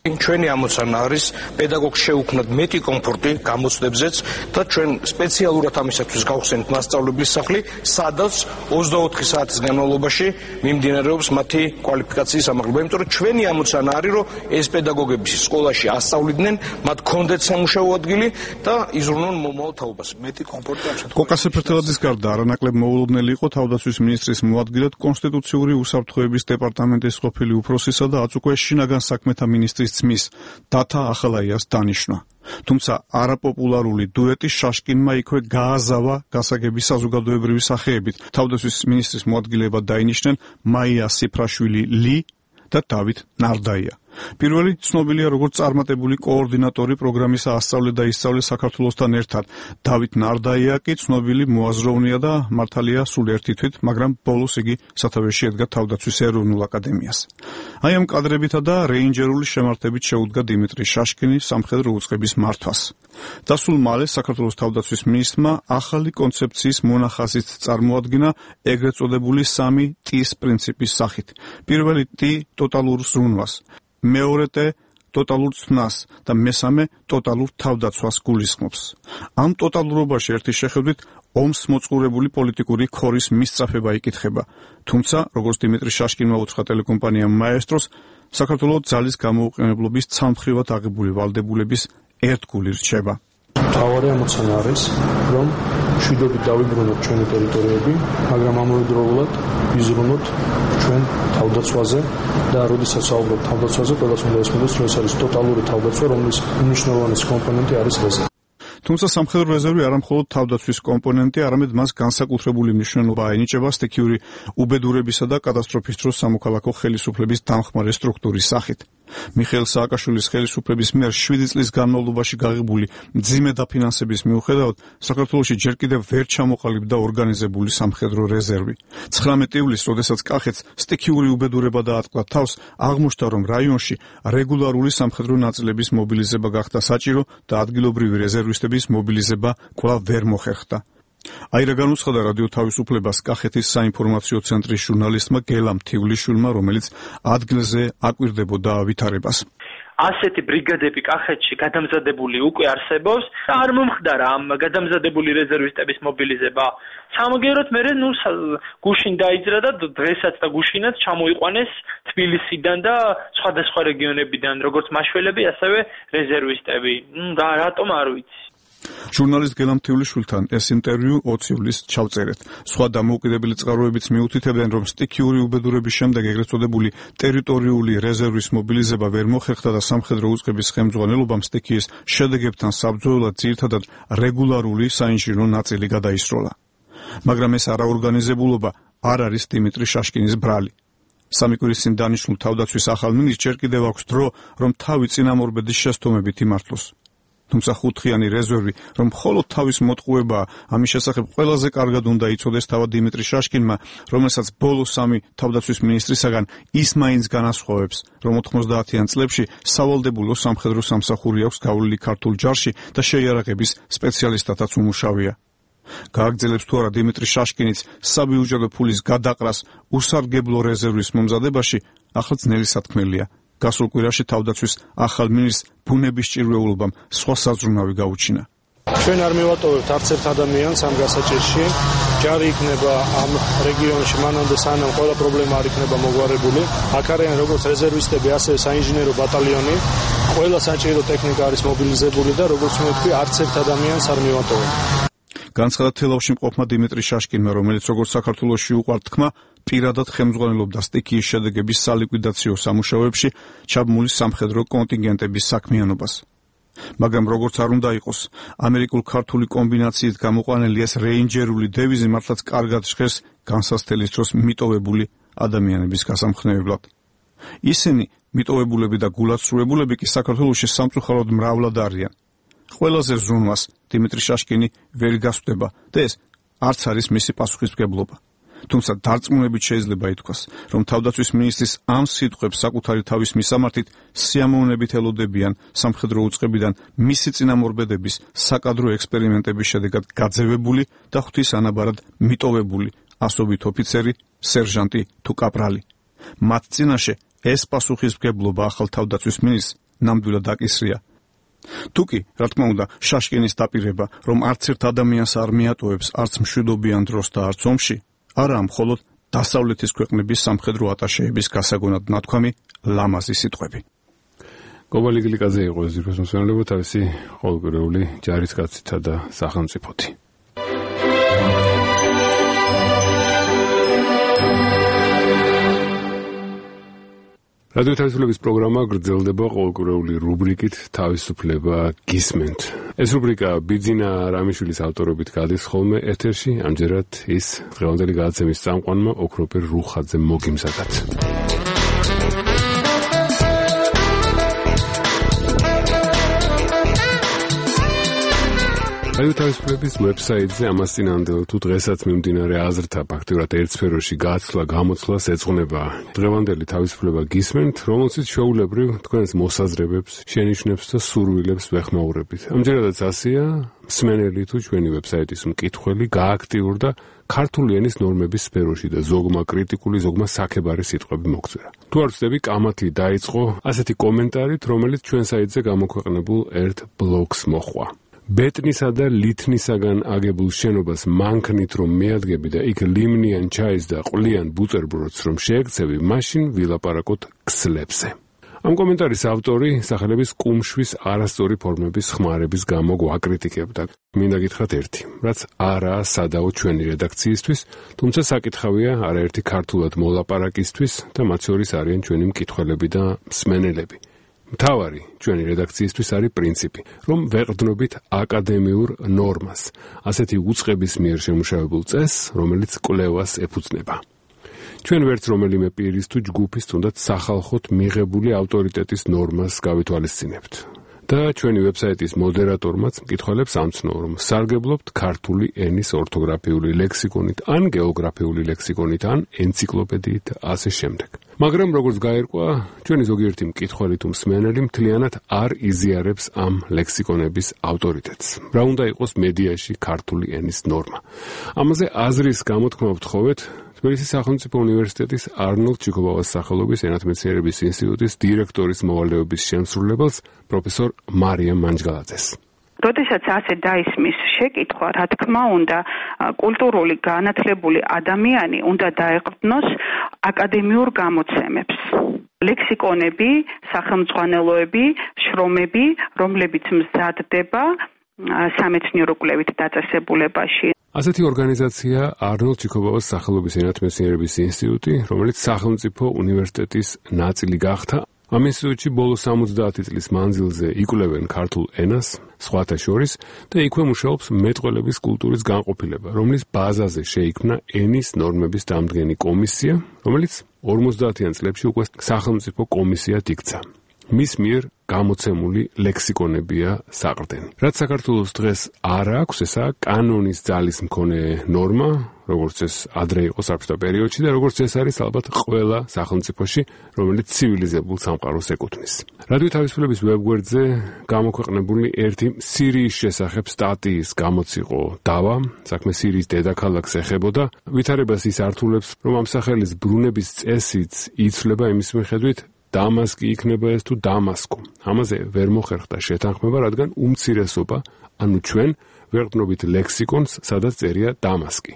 ჩვენი ამოცანა არის პედაგოგს შეუქმნათ მეტი კომფორტი გამოცდებზეც და ჩვენ სპეციალურად ამისათვის გავხსენით მასწავლებლის სახლი, სადაც 24 საათის განმავლობაში მიმდინარეობს მათი კვალიფიკაციის ამაღლება. იმიტომ რომ ჩვენი ამოცანა არის, რომ ეს პედაგოგები სკოლაში ასწავლიდნენ, მათ კონდეთ სამუშაო ადგილი და იზრუნონ მომავალ თაობას. მეტი კომფორტი ამისათვის. კოკას ეფერტელაძის გარდა არანაკლებ მოულოდნელი იყო თავდაცვის მინისტრის მოადგილედ კონსტიტუციური უსაფრთხოების დეპარტამენტის ყოფილი უფროსისა და აწუკვე შინაგან საქმეთა მინისტრის ძმის დათა ახალაიას დანიშვნა. თუმცა არაპოპულარული დუეტი შაშკინმა იქვე გააზავა გასაგების საზოგადოებრივი სახეებით. თავდაცვის მინისტრის მოადგილებად დაინიშნენ მაია სიფრაშვილი ლი და დავით ნარდაია. პირველი ცნობილია როგორც წარმატებული კოორდინატორი პროგრამის ასწავლე და ისწავლე საქართველოსთან ერთად. დავით ნარდაია კი ცნობილი მოაზროვნეა და მართალია სულ ერთი თვით, მაგრამ ბოლოს იგი სათავეში ედგა თავდაცვის ეროვნულ აკადემიას. აი ამ კადრებითა და რეინჯერული შემართებით შეუდგა დიმიტრი შაშკინი სამხედრო უწყების მართვას. და სულ მალე საქართველოს თავდაცვის მინისტრმა ახალი კონცეფციის მონახაზით წარმოადგინა ეგრეთ წოდებული 3 ტის პრინციპის სახით. პირველი ტი ტოტალურ ზრუნვას, მეორე ტე ტოტალურ ცნას და მესამე ტოტალურ თავდაცვას გულისხმობს. ამ ტოტალურობაში ერთი შეხედვით ომს მოწყურებული პოლიტიკური ქორის მისწრაფება იკითხება. თუმცა, როგორც დიმიტრი შაშკინმა უთხრა ტელეკომპანია მაესტროს, საქართველოს ძალის გამოუყენებლობის ცალმხრივად აღებული ვალდებულების ერთგული რჩება. მთავარი ამოცანა არის, რომ მშვიდობით დავიბრუნოთ ჩვენი ტერიტორიები, მაგრამ ამავდროულად ვიზრუნოთ ჩვენ თავდაცვაზე და როდესაც საუბრობ თავდაცვაზე, ყველას უნდა ესმოდოს, რომ ეს არის ტოტალური თავდაცვა, რომლის უმნიშვნელოვანესი კომპონენტი არის რეზერვი. თუმცა სამხედრო რეზერვი არა მხოლოდ თავდაცვის კომპონენტი, არამედ მას განსაკუთრებული მნიშვნელობა ენიჭება სტიქიური უბედურებისა და კატასტროფის დროს სამოქალაქო ხელისუფლების დამხმარე სტრუქტურის სახით. მიხეილ სააკაშვილის ხელისუფლების მიერ 7 წლის განმავლობაში გაღებული მძიმე დაფინანსების მიუხედავად საქართველოში ჯერ კიდევ ვერ ჩამოყალიბდა ორგანიზებული სამხედრო რეზერვი. 19 ივლისს, როდესაც კახეთს სტიქიური უბედურება დაატყდა თავს, აღმოჩნდა, რომ რაიონში რეგულარული სამხედრო ნაწილების მობილიზება გახდა საჭირო და ადგილობრივი რეზერვისტების მობილიზება კვლავ ვერ მოხერხდა. აი რა განუცხადა რადიო თავისუფლებას კახეთის საინფორმაციო ცენტრის ჟურნალისტმა გელამ თივლიშვილმა, რომელიც ადგილზე აკვირდებოდა ვითარებას. ასეთი ბრიგადები კახეთში გადამზადებული უკვე არსებობს და არ მომხდარა ამ გადამზადებული რეზერვისტების მობილიზება. სამაგეროთ მე გუშინ დაიძრა და დღესაც და გუშინაც ჩამოიყვანეს თბილისიდან და სხვადასხვა რეგიონებიდან, როგორც მაშველები, ასევე რეზერვისტები. და რატომ არ ვიცი. ჟურნალისტ გელამ თივლიშვილთან ეს ინტერვიუ 20 ივლისს ჩავწერეთ. სხვა დამოუკიდებელი წყაროებიც მიუთითებენ, რომ სტიქიური უბედურების შემდეგ ეგრეთ წოდებული ტერიტორიული რეზერვის მობილიზება ვერ მოხერხდა და სამხედრო უწყების ხელმძღვანელობამ სტიქიის შედეგებთან საბრძოლველად ძირითადად რეგულარული საინჟინრო ნაწილი გადაისროლა. მაგრამ ეს არაორგანიზებულობა არ არის დიმიტრი შაშკინის ბრალი. 3 კვირის წინ დანიშნულ თავდაცვის ახალ მინისტრს ჯერ კიდევ აქვს დრო, რომ თავი წინამორბედის შესტომებით იმართლოს. თუმცა ხუთხიანი რეზერვი, რომ მხოლოდ თავის მოტყუებაა, ამის შესახებ ყველაზე კარგად უნდა იცოდეს თავად დიმიტრი შაშკინმა, რომელსაც ბოლო 3 თავდაცვის მინისტრისაგან ის მაინც განასხვავებს, რომ 90-იან წლებში სავალდებულო სამხედრო სამსახური აქვს გავლილი ქართულ ჯარში და შეიარაღების სპეციალისტათაც უმუშავია. გააგრძელებს თუ არა დიმიტრი შაშკინიც საბიუჯეტო ფულის გადაყრას უსარგებლო რეზერვის მომზადებაში, ახლა ძნელი სათქმელია. გასულ კვირაში თავდაცვის ახალ მინისტრს ბუნების ჭირვეულობამ სხვა საზრუნავი გაუჩინა. ჩვენ არ მივატოვებთ არც ერთ ადამიანს ამ გასაჭირში. ჯარი იქნება ამ რეგიონში მანამდე სანამ ყველა პრობლემა არ იქნება მოგვარებული. აქ არიან როგორც რეზერვისტები, ასევე საინჟინერო ბატალიონი. ყველა საჭირო ტექნიკა არის მობილიზებული და როგორც მოვთქვი, არც ერთ ადამიანს არ მივატოვებთ. განცხადა თელავში მყოფმა დიმიტრი შაშკინმა, რომელიც როგორც საქართველოში უყვართ თქმა, პირადად ხელმძღვანელობდა სტიქიის შედეგების სალიკვიდაციო სამუშაოებში ჩაბმული სამხედრო კონტინგენტების საქმიანობას. მაგრამ როგორც არ უნდა იყოს, ამერიკულ-ქართული კომბინაციით გამოყვანილი ეს რეინჯერული დევიზი მართლაც კარგად ჟღერს განსასწრების დროს მიტოვებული ადამიანების გასამხნევებლად. ისინი, მიტოვებულები და გულაცრუებულები კი საქართველოში სამწუხაროდ მრავლად არიან. ყველაზე ზრუნვას დიმიტრი შაშკინი ვერ გასვდება და ეს არც არის მისი პასუხისმგებლობა. თუმცა დარწმუნებით შეიძლება ითქვას, რომ თავდაცვის მინისტრის ამ სიტყვებს საკუთარი თავის მისამართით სიამოვნებით ელოდებიან სამხედრო უწყებიდან მისი წინამორბედების საკადრო ექსპერიმენტების შედეგად გაძევებული და ღვთის ანაბარად მიტოვებული ასობით ოფიცერი, სერჟანტი თუ კაპრალი. მათ წინაშე ეს პასუხისმგებლობა ახალ თავდაცვის მინისტრს ნამდვილად აკისრია. თუკი, რა თქმა უნდა, შაშკინის დაპირება, რომ არც ერთ ადამიანს არ მიატოვებს არც მშვიდობიან დროს და არც ომში, არა მხოლოდ დასავლეთის ქვეყნების სამხედრო ატაშეების გასაგონად ნათქვამი ლამაზი სიტყვები. გობალიგლიკაძე იყო ზიროს მოსვენებელობა თავისი ყოველკვირეული ჯარისკაცითა და სახელმწიფოთი. რადიო თავისუფლების პროგრამა გრძელდება ყოველკვირეული რუბრიკით თავისუფლება გისმენთ. ეს რუბრიკა ბიძინა რამიშვილის ავტორობით გადის ხოლმე ეთერში, ამჯერად ის დღევანდელი გადაცემის წამყვანმა ოქროპერ რუხაძემ მოგიმზადათ. რადიო თავისუფლების ვებსაიტზე ამას წინანდელ თუ დღესაც მიმდინარე აზრთა ფაქტურად ერთსფეროში გაცვლა გამოცვლას ეძღვნება დღევანდელი თავისუფლება გისმენთ, რომელშიც ჩვეულებრივ თქვენს მოსაზრებებს, შენიშვნებს და სურვილებს ვეხმაურებით. ამჯერადაც ასეა, მსმენელი თუ ჩვენი ვებსაიტის მკითხველი გააქტიურდა ქართული ენის ნორმების სფეროში და ზოგმა კრიტიკული, ზოგმა საქებარი სიტყვები მოგწვირა. თუ არ ვცდები, კამათი დაიწყო ასეთი კომენტარით, რომელიც ჩვენ საიტზე გამოქვეყნებულ ერთ ბლოგს მოჰყვა. ბეტნისა და ლითნისაგან აგებულ შენობას მანქნით რომ მეადგები და იქ ლიმნიან ჩაის და ყვლიან ბუტერბროდს რომ შეექცევი, მაშინ ვილაპარაკოთ ქსლებზე. ამ კომენტარის ავტორი სახელების კუმშვის არასწორი ფორმების ხმარების გამო გვაკრიტიკებდა. მინდა გითხრათ ერთი, რაც არაა სადაო ჩვენი რედაქციისთვის, თუმცა საკითხავია არაერთი ქართულად მოლაპარაკისთვის და მათ შორის არიან ჩვენი მკითხველები და მსმენელები. მთავარი ჩვენი რედაქციისთვის არის პრინციპი, რომ ვეყრდნობით აკადემიურ ნორმას, ასეთი უწყების მიერ შემუშავებულ წესს, რომელიც კვლევას ეფუძნება. ჩვენ ვერც რომელიმე პირის თუ ჯგუფის თუნდაც სახალხოდ მიღებული ავტორიტეტის ნორმას გავითვალისწინებთ. და ჩვენი ვებსაიტის მოდერატორმაც მკითხველებს ამცნო, რომ სარგებლობთ ქართული ენის ორთოგრაფიული ლექსიკონით, ან გეოგრაფიული ლექსიკონით, ან ენციკლოპედიით და ასე შემდეგ. მაგრამ როგორც გაირკვა, ჩვენი ზოგიერთი მკითხველი თუ მსმენელი მთლიანად არ იზიარებს ამ ლექსიკონების ავტორიტეტს. რა უნდა იყოს მედიაში ქართული ენის ნორმა. ამაზე აზრის გამოთქმა ვთხოვეთ თბილისის სახელმწიფო უნივერსიტეტის არნოლდ ჩიკობავას სახელობის ენათმეცნიერების ინსტიტუტის დირექტორის მოვალეობის შემსრულებელს პროფესორ მარიამ მანჯგალაძეს. როდესაც ასე დაისმის შეკითხვა, რა თქმა უნდა, კულტურული განათლებული ადამიანი უნდა დაეყრდნოს აკადემიურ გამოცემებს. ლექსიკონები, სახელმძღვანელოები, შრომები, რომლებიც მზადდება სამეცნიერო კვლევით დაწესებულებაში. ასეთი ორგანიზაცია არნოლდ ჩიკობავას სახელობის ენათმეცნიერების ინსტიტუტი, რომელიც სახელმწიფო უნივერსიტეტის ნაწილი გახდა. ამ ინსტიტუტში ბოლო 70 წლის მანძილზე იკვლევენ ქართულ ენას, სხვათა შორის, და იქვე მუშაობს მეტყველების კულტურის განყოფილება, რომლის ბაზაზე შეიქმნა ენის ნორმების დამდგენი კომისია, რომელიც 50-იან წლებში უკვე სახელმწიფო კომისიად იქცა. მის მიერ გამოცემული ლექსიკონებია საყრდენი. რაც საქართველოს დღეს არ აქვს, ესაა კანონის ძალის მქონე ნორმა, როგორც ეს ადრე იყო საბჭოთა პერიოდში და როგორც ეს არის ალბათ ყველა სახელმწიფოში, რომელიც ცივილიზებულ სამყაროს ეკუთვნის. რადიო თავისუფლების ვებგვერდზე გამოქვეყნებული ერთი სირიის შესახებ სტატიის გამოციყო დავა, საქმე სირიის დედაქალაქს ეხებოდა, ვითარებას ის ართულებს, რომ ამ სახელის ბრუნების წესიც იცვლება იმის მიხედვით, დამასკი იქნება ეს თუ დამასკო. ამაზე ვერ მოხერხდა შეთანხმება, რადგან უმცირესობა, ანუ ჩვენ ვეყრდნობით ლექსიკონს, სადაც წერია დამასკი.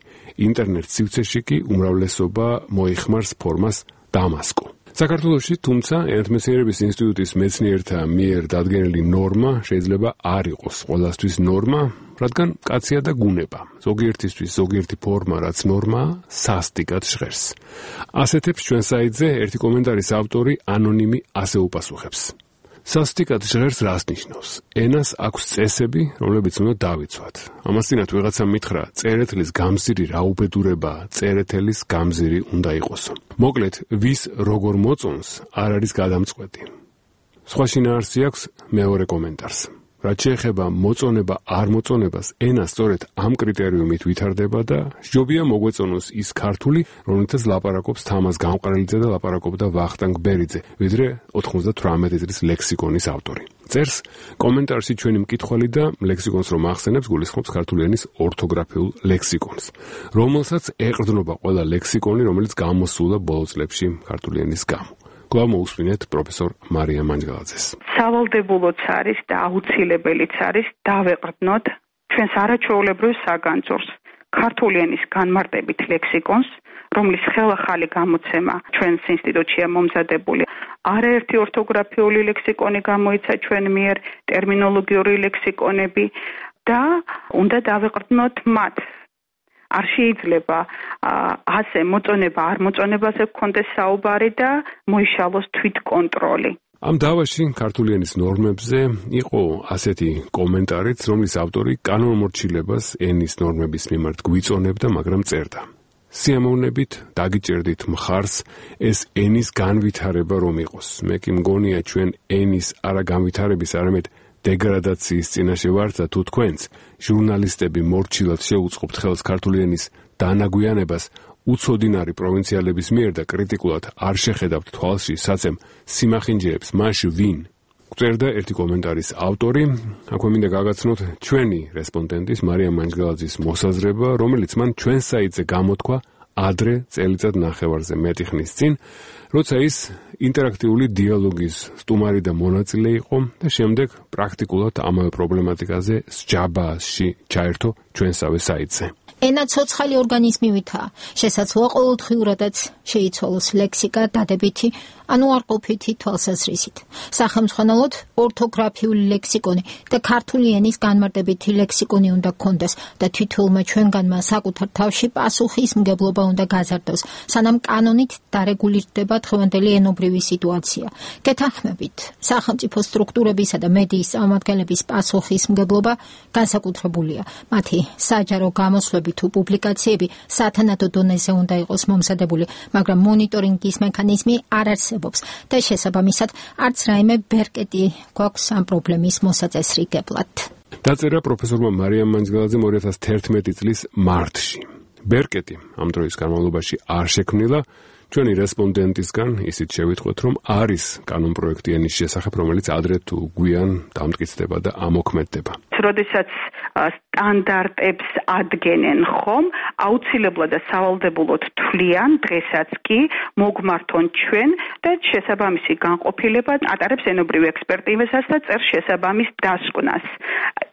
ინტერნეტ სივრცეში კი უმრავლესობა მოიხმარს ფორმას დამასკო. საქართველოში, თუმცა, ენათმეცნიერების ინსტიტუტის მეცნიერთა მიერ დადგენილი ნორმა შეიძლება არ იყოს ყველასთვის ნორმა, რადგან კაცია და გუნება. ზოგიერთისთვის ზოგიერთი ფორმა, რაც ნორმაა, სასტიკად ჟღერს. ასეთებს ჩვენ საიტზე ერთი კომენტარის ავტორი ანონიმი ასე უპასუხებს. სასტიკად ჟღერს რას ნიშნავს? ენას აქვს წესები, რომლებიც უნდა დავიცვათ. ამასთანავე ვიღაცამ მითხრა, წერეთლის გამზირი რა უბედურებაა, წერეთელის გამზირი უნდა იყოსო. მოკლედ, ვის როგორ მოწონს, არ არის გადამწყვეტი. სხვა შინაარსი აქვს მეორე კომენტარს. რაც შეეხება მოწონება არ მოწონებას, ენა სწორედ ამ კრიტერიუმით ვითარდება და სჯობია მოგვეწონოს ის ქართული, რომელთაც ლაპარაკობს თამაზ გამყრელიძე და ლაპარაკობდა ვახტანგ ბერიძე, ვიდრე 98 წლის ლექსიკონის ავტორი. წერს კომენტარში ჩვენი მკითხველი და ლექსიკონს რომ ახსენებს, გულისხმობს ქართული ენის ორთოგრაფიულ ლექსიკონს, რომელსაც ეყრდნობა ყველა ლექსიკონი, რომელიც გამოსულა ბოლო წლებში ქართული ენის გამო. კვლავ მოусმინეთ პროფესორ მარია მანჯგალაძეს. სავალდებულოც არის და აუცილებელიც არის დავეყრდნოთ ჩვენს არაჩვეულებრივ საგანძურს, ქართული ენის განმარტებით ლექსიკონს, რომლის ხელახალი გამოცემა ჩვენს ინსტიტუტშია მომზადებული. არაერთი ორთოგრაფიული ლექსიკონი გამოიცა ჩვენ მიერ, ტერმინოლოგიური ლექსიკონები და უნდა დავეყრდნოთ მათ. არ შეიძლება ასე მოწონება არ მოწონებაზე გქონდეს საუბარი და მოიშალოს თვითკონტროლი. ამ დავაში ქართული ენის ნორმებზე იყო ასეთი კომენტარიც, რომლის ავტორი კანონმორჩილებას ენის ნორმების მიმართ გვიწონებდა, მაგრამ წერდა. სიამოვნებით დაგიჭერდით მხარს ეს ენის განვითარება რომ იყოს. მე კი მგონია ჩვენ ენის არა განვითარების, არამედ დეგრადაციის წინაშე ვართ და თუ თქვენც ჟურნალისტები მორჩილად შეუწყობთ ხელს ქართული ენის დანაგვიანებას უცოდინარი პროვინციალების მიერ და კრიტიკულად არ შეხედავთ თვალში საცემ სიმახინჯეებს, მაშ ვინ? წერდა ერთი კომენტარის ავტორი. აქვე მინდა გაგაცნოთ ჩვენი რესპონდენტის მარია მანჯგალაძის მოსაზრება, რომელიც მან ჩვენ საიტზე გამოთქვა ადრე წელიწად ნახევარზე მეტი ხნის წინ, როცა ის ინტერაქტიული დიალოგის სტუმარი და მონაწილე იყო და შემდეგ პრაქტიკულად ამავე პრობლემატიკაზე სჯაბაში ჩაერთო ჩვენსავე საიტზე. ენა ცოცხალი ორგანიზმივითაა. შესაძლოა ყოველდღიურადაც შეიცვალოს ლექსიკა დადებითი, ანუ არყოფითი თვალსაზრისით. სახელმძღვანელოდ ორთოგრაფიული ლექსიკონი და ქართული ენის განმარტებითი ლექსიკონი უნდა გქონდეს და თითოეულმა ჩვენგანმა საკუთარ თავში პასუხისმგებლობა უნდა გაზარდოს, სანამ კანონით დარეგულირდება დღევანდელი ენობრივი სიტუაცია. გეთანხმებით, სახელმწიფო სტრუქტურებისა და მედიის წარმომადგენლების პასუხისმგებლობა განსაკუთრებულია. მათი საჯარო გამოსვლები თუ პუბლიკაციები სათანადო დონეზე უნდა იყოს მომზადებული, მაგრამ მონიტორინგის მექანიზმი არ არსებობს და შესაბამისად არც რაიმე ბერკეტი გვაქვს ამ პრობლემის მოსაწესრიგებლად. დაწერა პროფესორმა მარია მანჯგალაძემ 2011 წლის მარტში. ბერკეტი ამ დროის განმავლობაში არ შექმნილა. ჩვენი რესპონდენტისგან ისიც შევიტყვეთ, რომ არის კანონპროექტი ენის შესახებ, რომელიც ადრე თუ გვიან დამტკიცდება და ამოქმედდება. როდესაც სტანდარტებს ადგენენ ხომ, აუცილებლად და სავალდებულოდ თვლიან დღესაც კი მოგმართონ ჩვენ და შესაბამისი განყოფილება ატარებს ენობრივ ექსპერტიზას და წერს შესაბამის დასკვნას.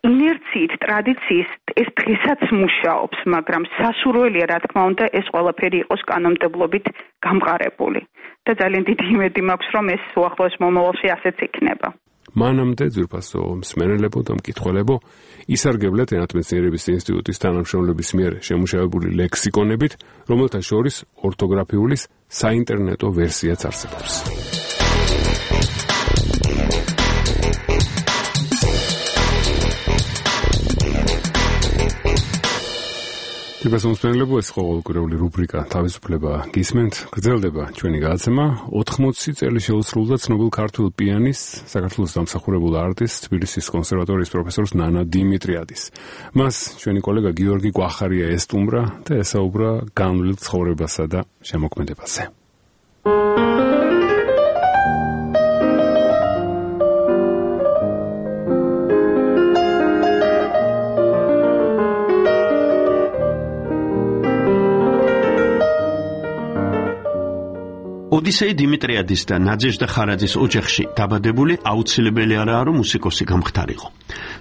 ინერციით, ტრადიციით ეს დღესაც მუშაობს, მაგრამ სასურველია, რა თქმა უნდა, ეს ყველაფერი იყოს კანონმდებლობით გამყარებული. და ძალიან დიდი იმედი მაქვს, რომ ეს უახლოეს მომავალში ასეც იქნება. მანამდე ძვირფასო მსმენელებო და მკითხველებო, ისარგებლეთ ენათმეცნიერების ინსტიტუტის თანამშრომლების მიერ შემუშავებული ლექსიკონებით, რომელთა შორის ორთოგრაფიულის საინტერნეტო ვერსიაც არსებობს. ძვირფასო ეს ყოველკვირეული რუბრიკა თავისუფლება გისმენთ, გრძელდება ჩვენი გადაცემა. 80 წელი შეუსრულდა ცნობილ ქართულ პიანისტს, საქართველოს დამსახურებულ არტისტს, თბილისის კონსერვატორიის პროფესორს ნანა დიმიტრიადის. მას ჩვენი კოლეგა გიორგი კვახარია ესტუმრა და ესაუბრა განვლილ ცხოვრებასა და შემოქმედებაზე. ოდისეი დიმიტრიადის და ნაძეჟდა ხარაძის ოჯახში დაბადებული აუცილებელი არაა, რომ მუსიკოსი გამხდარიყო.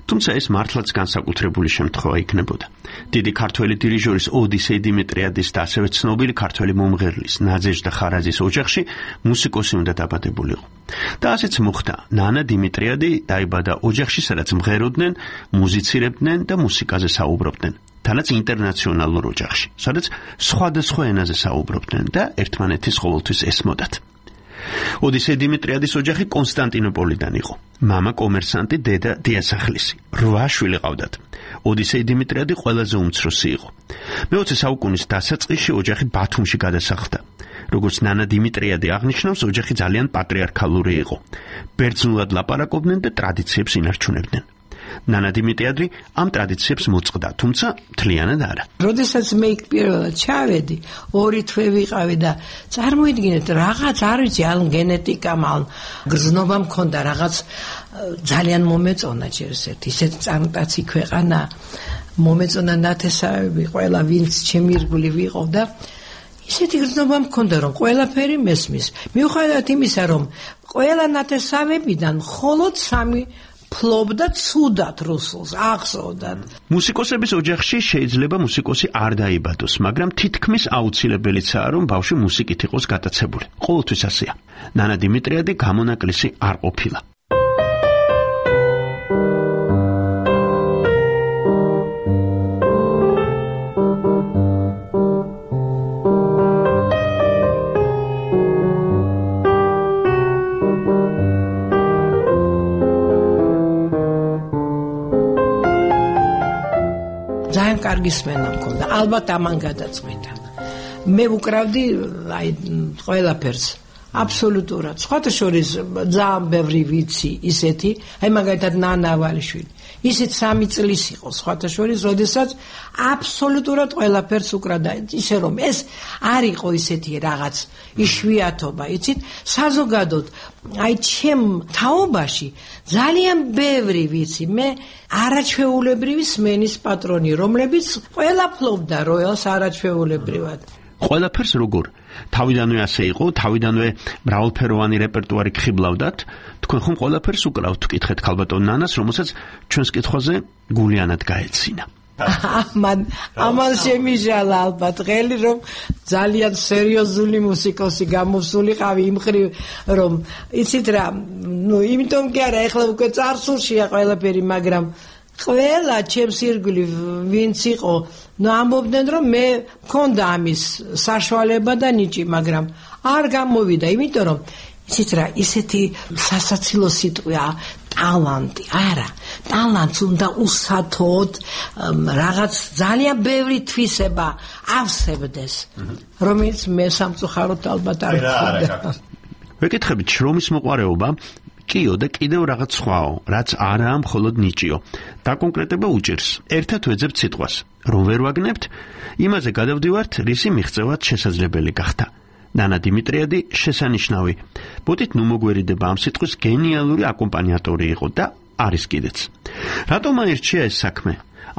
თუმცა ეს მართლაც განსაკუთრებული შემთხვევა იქნებოდა. დიდი ქართველი დირიჟორის ოდისეი დიმიტრიადის და ასევე ცნობილი ქართველი მომღერლის ნაძეჟდა ხარაძის ოჯახში მუსიკოსი უნდა დაბადებულიყო. და ასეც მოხდა. ნანა დიმიტრიადი დაიბადა ოჯახში, სადაც მღეროდნენ, მუსიცირებდნენ და მუსიკაზე საუბრობდნენ. თანაც ინტერნაციონალურ ოჯახში, სადაც სხვადასხვა ენაზე საუბრობდნენ და ერთმანეთის ყოველთვის ესმოდათ. ოდისეი დიმიტრიადის ოჯახი კონსტანტინოპოლიდან იყო. მამა კომერსანტი, დედა დიასახლისი. 8 შვილი ყავდათ. ოდისეი დიმიტრიადი ყველაზე უმცროსი იყო. მე-20 საუკუნის დასაწყისში ოჯახი ბათუმში გადასახლდა. როგორც ნანა დიმიტრიადი აღნიშნავს, ოჯახი ძალიან პატრიარქალური იყო. ბერძნულად ლაპარაკობდნენ და ტრადიციებს ინარჩუნებდნენ. ნანა დიმიტრიადი ამ ტრადიციებს მოწყდა, თუმცა მთლიანად არა. როდესაც მე იქ პირველად ჩავედი, 2 თვე ვიყავი და წარმოიდგინეთ, რაღაც არ ვიცი, ან გენეტიკა, ან გრძნობა მქონდა, რაღაც ძალიან მომეწონა ჯერზეთ, ისეთ წარმტაცი ქვეყანა, მომეწონა ნათესავები, ყველა ვინც ჩემი ირგვლივ იყო და ისეთი გრძნობა მქონდა, რომ ყველაფერი მესმის. მიუხედავად იმისა, რომ ყველა ნათესავებიდან მხოლოდ 3 ფლობდა ცუდად რუსულს, ახსოვდათ. მუსიკოსების ოჯახში შეიძლება მუსიკოსი არ დაიბადოს, მაგრამ თითქმის აუცილებელიცაა, რომ ბავშვი მუსიკით იყოს გატაცებული. ყოველთვის ასეა. ნანა დიმიტრიადი გამონაკლისი არ ყოფილა. ძალიან კარგი სმენა მქონდა, ალბათ ამან გადაწყვიტა. მე ვუკრავდი აი ყველაფერს, აბსოლუტურად. სხვათა შორის ძალიან ბევრი ვიცი ისეთი, აი მაგალითად ნანა ავალიშვილი. ისეთ 3 წლის იყო სხვათა შორის, როდესაც აბსოლუტურად ყველაფერს უკრავდა. ისე რომ ეს არ იყო ისეთი რაღაც იშვიათობა, იცით? საზოგადოდ აი ჩემ თაობაში ძალიან ბევრი ვიცი მე არაჩვეულებრივი სმენის პატრონი, რომლებიც ყველა ფლობდა როელს არაჩვეულებრივად. ყველაფერს როგორ? თავიდანვე ასე იყო, თავიდანვე მრავალფეროვანი რეპერტუარი გხიბლავდათ. თქვენ ხომ ყველაფერს უკრავთ, ვკითხეთ ქალბატონ ნანას, რომელსაც ჩვენს კითხვაზე გულიანად გაეცინა. ამან შემიჟალა ალბათ ღელი, რომ ძალიან სერიოზული მუსიკოსი გამოსულიყავი იმ ხრივ, რომ იცით რა, იმიტომ კი არა, ეხლა უკვე წარსულშია ყველაფერი, მაგრამ ყველა ჩემს ირგვლივ ვინც იყო, ამბობდნენ, რომ მე მქონდა ამის საშუალება და ნიჭი, მაგრამ არ გამოვიდა, იმიტომ რომ იცით რა, ისეთი სასაცილო სიტყვაა ტალანტი, არა, ტალანტს უნდა უსათოდ რაღაც ძალიან ბევრი თვისება ავსებდეს, რომელიც მე სამწუხაროდ ალბათ არ ვქონდა. ვეკითხებით, შრომის მოყვარეობა კიო და კიდევ რაღაც სხვაო, რაც არაა მხოლოდ ნიჭიო. დაკონკრეტება უჭირს. ერთად ვეძებთ სიტყვას. რომ ვერ ვაგნებთ, იმაზე გადავდივართ, რისი მიღწევაც შესაძლებელი გახდა. ნანა დიმიტრიადი შესანიშნავი. ბოდით ნუ მოგვერიდება ამ სიტყვის გენიალური აკომპანიატორი იყო და არის კიდეც. რატომ აირჩია ეს საქმე?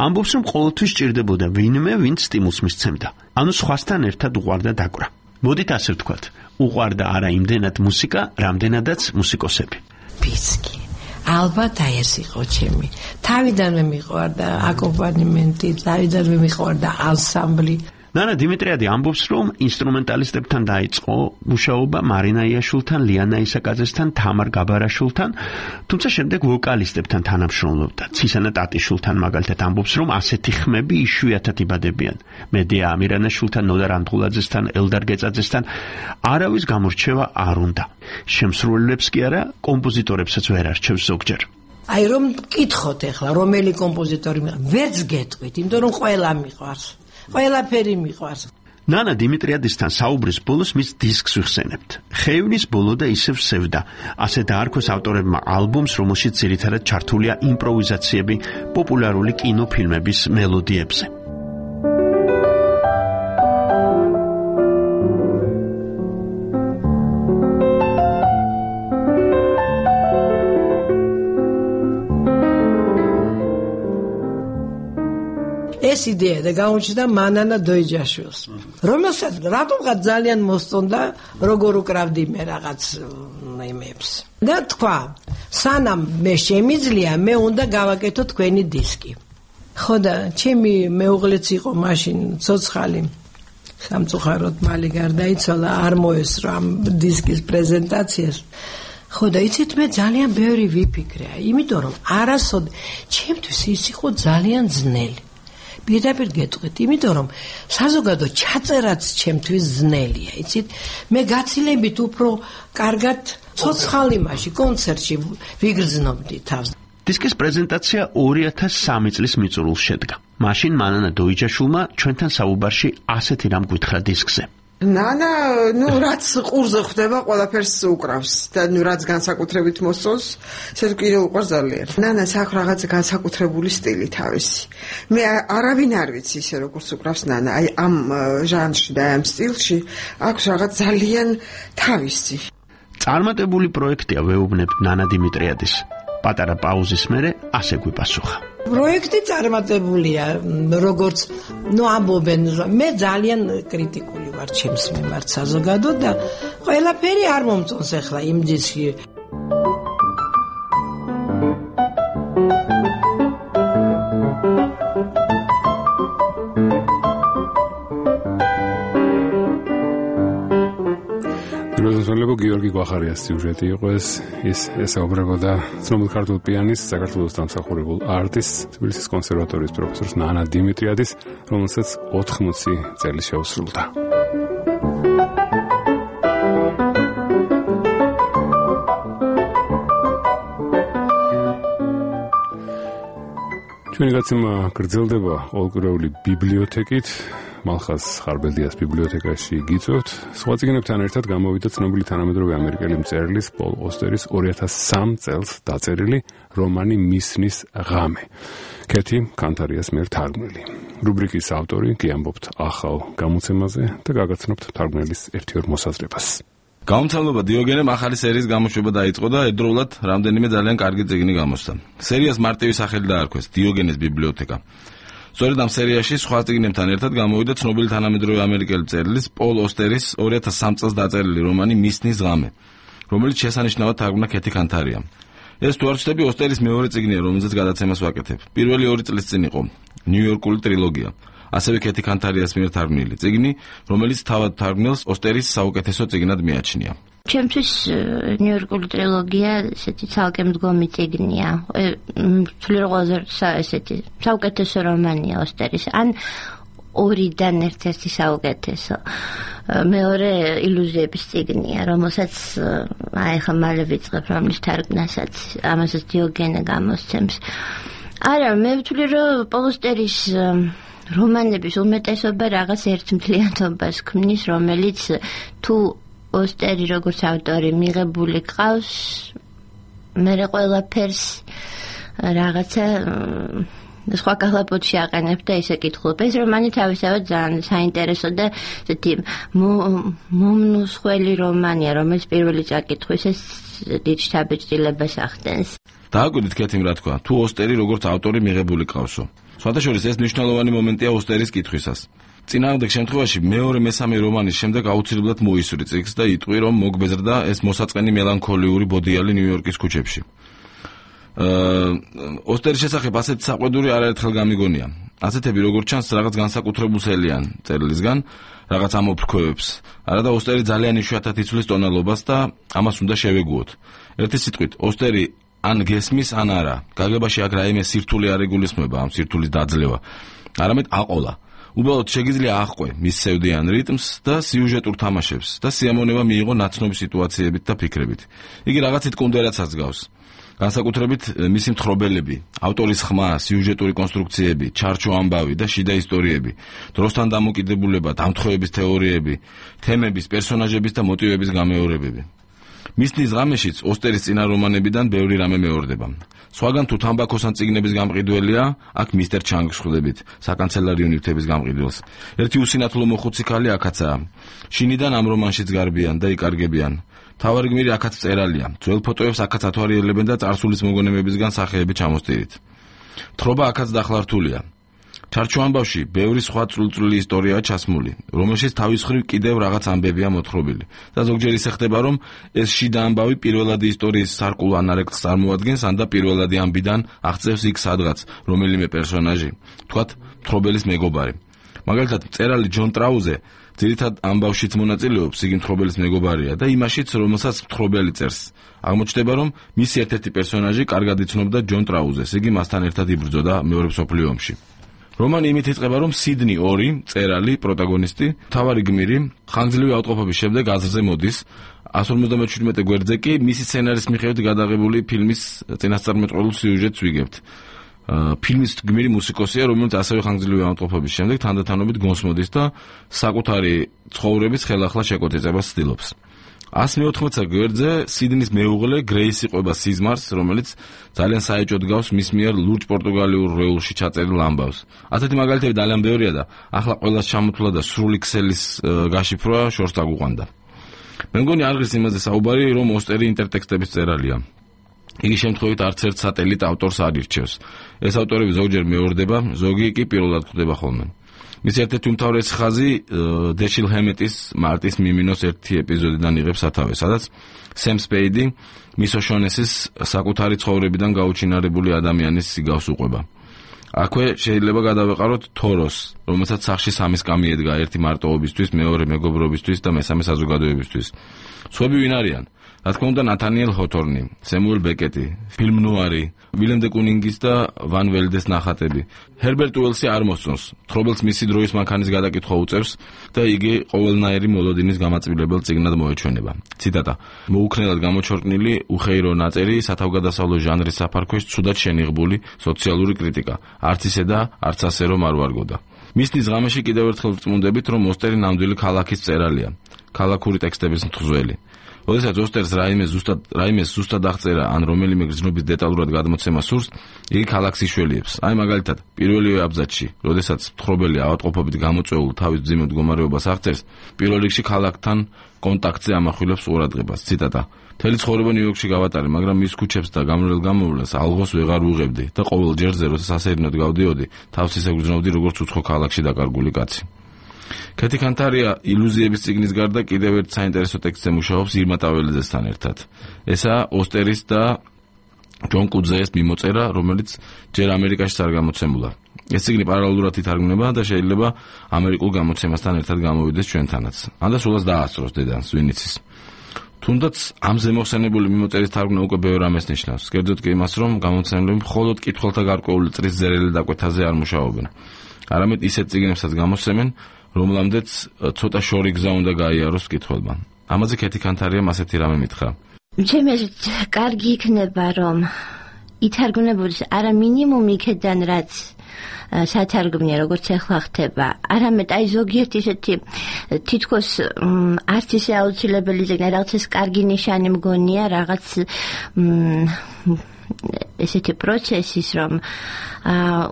ამბობს, რომ ყოველთვის სჭირდებოდა ვინმე, ვინც სტიმულს მისცემდა. ანუ სხვასთან ერთად უყვარდა დაკვრა. ბოდით ასე ვთქვათ, უყვარდა არა იმდენად მუსიკა, რამდენადაც მუსიკოსები. პიცკი. ალბათ აი ეს იყო ჩემი. თავიდანვე მიყვარდა აკომპანიმენტი, თავიდანვე მიყვარდა ანსამბლი. ნანა დიმიტრიადი ამბობს, რომ ინსტრუმენტალისტებთან დაიწყო მუშაობა მარინა იაშვილთან, ლიანა ისაკაძესთან, თამარ გაბარაშვილთან, თუმცა შემდეგ ვოკალისტებთან თანამშრომლობდა. ცისანა ტატიშვილთან მაგალითად ამბობს, რომ ასეთი ხმები იშვიათად იბადებიან. მედია ამირანაშვილთან, ნოდარ ანტღულაძესთან, ელდარ გეწაძესთან არავის გამორჩევა არ უნდა. შემსრულებლებს კი არა, კომპოზიტორებსაც ვერ არჩევს ზოგჯერ. აი რომ მკითხოთ ახლა, რომელი კომპოზიტორი ვერც გეტყვით, იმიტომ რომ ყველა მიყვარს. ყველაფერი მიყვარს. ნანა დიმიტრიადისთან საუბრის ბოლოს მის დისკს ვიხსენებთ. ხეივნის ბოლო და ისევ სევდა. ასე დაარქვეს ავტორებმა ალბომს, რომელშიც ძირითადად ჩართულია იმპროვიზაციები პოპულარული კინოფილმების მელოდიებზე. ეს იდეა და გამოჩნდა მანანა დოიჯაშვილს, რომელსაც რატომღაც ძალიან მოსწონდა, როგორ უკრავდი მე რაღაც იმებს. და თქვა, სანამ მე შემიძლია, მე უნდა გავაკეთო თქვენი დისკი. ხო და ჩემი მეუღლეც იყო მაშინ ცოცხალი. სამწუხაროდ მალე გარდაიცვალა, არ მოესწრო ამ დისკის პრეზენტაციას. ხო და იცით მე ძალიან ბევრი ვიფიქრე, იმიტომ რომ არასოდ ჩემთვის ის იყო ძალიან ძნელი. პირდაპირ გეტყვით, იმიტომ რომ საზოგადო ჩაწერაც ჩემთვის ძნელია, იცით? მე გაცილებით უფრო კარგად ცოცხალი მასში კონცერტში ვიგრძნობდი თავს. დისკის პრეზენტაცია 2003 წლის მიწურულს შედგა. მაშინ მანანა დოიჯაშვილმა ჩვენთან საუბარში ასეთი რამ გითხრა დისკზე. ნანა, რაც ყურზე ხდება, ყველაფერს უკრავს და რაც განსაკუთრებით მოსწონს, ესე კიდევ უყვარს ძალიან. ნანას აქვს რაღაც განსაკუთრებული სტილი თავისი. მე არავინ არ ვიცი ისე როგორც უკრავს ნანა, აი ამ ჟანრში და ამ სტილში აქვს რაღაც ძალიან თავისი. წარმატებული პროექტია ვეუბნებთ ნანა დიმიტრიადის. პატარა პაუზის მერე ასე გვიპასუხა. პროექტი წარმატებულია, როგორც ამბობენ, მე ძალიან კრიტიკული ვარ ჩემს მიმართ საზოგადოდ და ყველაფერი არ მომწონს ახლა იმ ძისში. გიორგი გვახარიას სიუჟეტი იყო ეს ესაუბრებოდა ცნობილ ქართულ პიანის, საქართველოს დამსახურებულ არტისტ, თბილისის კონსერვატორიის პროფესორს ნანა დიმიტრიადის, რომელსაც 80 წელი შეუსრულდა. ჩვენი გაცემა გრძელდება ყოველკვირეული ბიბლიოთეკით. მალხას ხარბელდიას ბიბლიოთეკაში გიწევთ. სხვა წიგნებთან ერთად გამოვიდა ცნობილი თანამედროვე ამერიკელი მწერლის პოლ ოსტერის 2003 წელს დაწერილი რომანი მისნის ღამე. კეთი კანთარიას მიერ თარგმნილი. რუბრიკის ავტორი კი ამბობთ ახალ გამოცემაზე და გაგაცნობთ თარგმნელის ერთ-ორ მოსაზრებას. გამომცემლობა დიოგენემ ახალი სერიის გამოშვება დაიწყო და ერთდროულად რამდენიმე ძალიან კარგი წიგნი გამოსცა. სერიას მარტივი სახელი დაარქვეს დიოგენეს ბიბლიოთეკა. სწორედ ამ სერიაში სხვა წიგნებთან ერთად გამოვიდა ცნობილი თანამედროვე ამერიკელი მწერლის პოლ ოსტერის 2003 წელს დაწერილი რომანი მისნის ღამე, რომელიც შესანიშნავად თარგმნა კეთი კანთარიამ. ეს თუ არ ვცდები, ოსტერის მეორე წიგნია, რომელზეც გადაცემას ვაკეთებ. პირველი 2 წლის წინ იყო ნიუ-იორკული ტრილოგია, ასევე კეთი კანთარიას მიერ თარგმნილი წიგნი, რომელიც თავად თარგმნელს ოსტერის საუკეთესო წიგნად მიაჩნია. ჩემთვის ნიუ-იორკული ტრილოგია ესეთი ცალკე მდგომი წიგნია. სულიერ ყველაზე ესეთი საუკეთესო რომანია ოსტერის. ან ორიდან ერთ-ერთი საუკეთესო. მეორე ილუზიების წიგნია, რომელსაც ახლა მალე ვიწყებ, რომლის თარგმნასაც ამასაც დიოგენე გამოსცემს. არა, მე ვთვლი, რომ პოლ ოსტერის რომანების უმეტესობა რაღაც ერთმთლიანობას ქმნის, რომელიც თუ ოსტერი როგორც ავტორი მიღებული ყავს, მე ყველაფერს რაღაცა სხვა კალაპოტში აყენებ და ისე კითხულობ. ეს რომანი თავისთავად ძალიან საინტერესო და ესეთი მომნუსხველი რომანია, რომელიც პირველი წაკითხვის ეს დიდ შთაბეჭდილებას ახდენს. დააკვირდით კეთიმ რა თქვა, თუ ოსტერი როგორც ავტორი მიღებული ყავსო. სხვადასხვა ეს მნიშვნელოვანი მომენტია ოსტერის კითხვისას. წინააღმდეგ შემთხვევაში მეორე-მესამე რომანის შემდეგ აუცილებლად მოისურვი წიგნს და იტყვი, რომ მოგბეზრდა ეს მოსაწყენი მელანქოლიური ბოდიალი ნიუ-იორკის ქუჩებში. ოსტერის შესახებ ასეთი საყვედური არაერთხელ გამიგონია. ასეთები როგორც ჩანს რაღაც განსაკუთრებულს ელიან წერილისგან, რაღაც ამოფრქვევებს. არა და ოსტერი ძალიან იშვიათად იცვლის ტონალობას და ამას უნდა შევეგუოთ. ერთი სიტყვით, ოსტერი ან გესმის, ან არა. გაგებაში აქ რაიმე სირთული არ იგულისხმება, ამ სირთულის დაძლევა. არამედ აყოლა. უბრალოდ შეგიძლია აჰყვე მის სევდიან რიტმს და სიუჟეტურ თამაშებს და სიამონება მიიღო ნაცნობი სიტუაციებით და ფიქრებით. იგი რაღაცით კუნდერაცაც გავს. განსაკუთრებით მისი მთხრობელები, ავტორის ხმა, სიუჟეტური კონსტრუქციები, ჩარჩო ამბავი და შიდა ისტორიები, დროსთან დამოკიდებულება, დამთხოვების თეორიები, თემების, პერსონაჟების და მოტივების გამეორებები. მისნის ღამეშიც ოსტერის წინა რომანებიდან ბევრი რამე მეორდება. სხვაგან თუ თამბაქოს ან წიგნების გამყიდველია, აქ მისტერ ჩანგს ხვდებით, საკანცელარიო ნივთების გამყიდველს. ერთი უსინათლო მოხუცი ქალი აქაცაა. შინიდან ამ რომანშიც გარბიან და იკარგებიან. თავარი გმირი აქაც წერალია. ძველ ფოტოებს აქაც ათვალიერებენ და წარსულის მოგონებებისგან სახეები ჩამოსტირით. თხრობა აქაც დახლართულია. ჩარჩო ამბავში ბევრი სხვა წვრილი ისტორიაა ჩასმული, რომელშიც თავის მხრივ კიდევ რაღაც ამბებია მოთხრობილი. და ზოგჯერ ისე ხდება, რომ ეს შიდა ამბავი პირველადი ისტორიის სარკულ ანარექტს წარმოადგენს, ან და პირველადი ამბიდან აღწევს იქ სადღაც რომელიმე პერსონაჟი, თქვათ, მთხრობელის მეგობარი. მაგალითად, მწერალი ჯონ ტრაუზე ძირითად ამბავშიც მონაწილეობს, იგი მთხრობელის მეგობარია და იმაშიც, რომელსაც მთხრობელი წერს. აღმოჩნდება, რომ მისი ერთ-ერთი პერსონაჟი კარგად იცნობდა ჯონ ტრაუზეს, იგი მასთან ერთად იბრძოდა მეორე მსოფლიო ომში. რომანი იმით იწყება, რომ სიდნი 2, მწერალი, პროტაგონისტი, მთავარი გმირი, ხანგრძლივი ავტყოფობის შემდეგ აზრზე მოდის. 157 გვერდზე კი მისი სცენარის მიხედვით გადაღებული ფილმის წინასწარმეტყველურ სიუჟეტს ვიგებთ. ფილმის გმირი მუსიკოსია, რომელიც ასევე ხანგრძლივი ავტყოფობის შემდეგ თანდათანობით გონსმოდის და საკუთარი ცხოვრების ხელახლა შეკოწეწებას ცდილობს. 114 გვერდზე სიდნის მეუღლე გრეისი ყვება სიზმარს, რომელიც ძალიან საეჭვოდ გავს მის მიერ ლურჯ პორტუგალიურ რეულში ჩაწერილ ამბავს. ასეთი მაგალითები ძალიან ბევრია და ახლა ყველას ჩამოთვლა და სრული ქსელის გაშიფრვა შორს დაგუყვანდა. მე მგონი არ ღირს იმაზე საუბარი, რომ ოსტერი ინტერტექსტების წერალია. იგი შემთხვევით არც ერთ სატელიტ ავტორს არ ირჩევს. ეს ავტორები ზოგჯერ მეორდება, ზოგი კი პირველად ხვდება ხოლმე. მის ერთ-ერთი უმთავრესი ხაზი დეშილ ჰემეტის მარტის მიმინოს ერთი ეპიზოდიდან იღებს სათავეს, სადაც სემ სპეიდი მის ოშონესის საკუთარი ცხოვრებიდან გაუჩინარებული ადამიანის სიგავს უყვება. აქვე შეიძლება გადავეყაროთ თოროს, რომელსაც სახში სამი სკამი ედგა, ერთი მარტოობისთვის, მეორე მეგობრობისთვის და მესამე საზოგადოებისთვის. სხვები ვინ არიან? რა თქმა უნდა, ნათანიელ ჰოთორნი, სემუელ ბეკეტი, ფილმ ნუარი, ვილემ დე კუნინგის და ვან ველდეს ნახატები. ჰერბერტ უელსი არ მოსწონს, თხრობელს მისი დროის მანქანის გადაკითხვა უწევს და იგი ყოველნაირი მოლოდინის გამაწვილებელ წიგნად მოეჩვენება. ციტატა: მოუქნელად გამოჩორკნილი უხეირო ნაწერი სათავგადასავლო ჟანრის საფარქვეშ ცუდად შენიღბული სოციალური კრიტიკა. არც ისე და არც ასე რომ არ ვარგოდა. მისნის ღამეში კიდევ ერთხელ ვწმუნდებით, რომ ოსტერი ნამდვილი ქალაქის მწერალია, ქალაქური ტექსტების მთხზველი. როდესაც ოსტერს რაიმეს ზუსტად აღწერა ან რომელიმე გრძნობის დეტალურად გადმოცემა სურს, იგი ქალაქს იშველიებს. აი მაგალითად, პირველივე აბზაცში, როდესაც მთხრობელი ავადმყოფობით გამოწვეულ თავის მძიმე მდგომარეობას აღწერს, პირველ რიგში ქალაქთან კონტაქტზე ამახვილებს ყურადღებას. ციტატა: მთელი ცხოვრება ნიუ-იორკში გავატარე, მაგრამ მის ქუჩებს და გამრავლეს ალღოს ვეღარ ვუღებდი და ყოველ ჯერზე, როცა სასეირნოდ გავდიოდი, თავს ისე გრძნობდი, როგორც უცხო ქალაქში დაკარგული კაცი. კეთი კანტარია ილუზიების წიგნის გარდა კიდევ ერთ საინტერესო ტექსტზე მუშაობს ირმა ტაველიძესთან ერთად. ესაა ოსტერის და ჯონ კუძეეს მიმოწერა, რომელიც ჯერ ამერიკაშიც არ გამოცემულა. ეს წიგნი პარალელურად ითარგმნება და შეიძლება ამერიკულ გამოცემასთან ერთად გამოვიდეს ჩვენთანაც. ან და სულაც დაასწროს დედანს, ვინ იცის. თუნდაც ამ ზემოხსენებული მიმოწერის თარგმნა უკვე ბევრ ამას ნიშნავს. კერძოდ კი იმას, რომ გამოცემლები მხოლოდ კითხველთა გარკვეული წრის ზერელი დაკვეთაზე არ მუშაობენ. არამედ ისეთ წიგნებსაც გამოსცემენ, რომლამდეც ცოტა შორი გზა უნდა გაიაროს კითხველმა. ამაზე კეთი კანტარიამ ასეთი რამე მითხრა: ჩემი აზრით, კარგი იქნება, რომ ითარგმნებოდეს არა მინიმუმ იქედან, რაც სათარგმნია, როგორც ახლა ხდება, არამედ აი ზოგიერთი ისეთი თითქოს არც ისე აუცილებელი ზეგნა, რაღაც ეს კარგი ნიშანი მგონია, რაღაც ესეთი პროცესის, რომ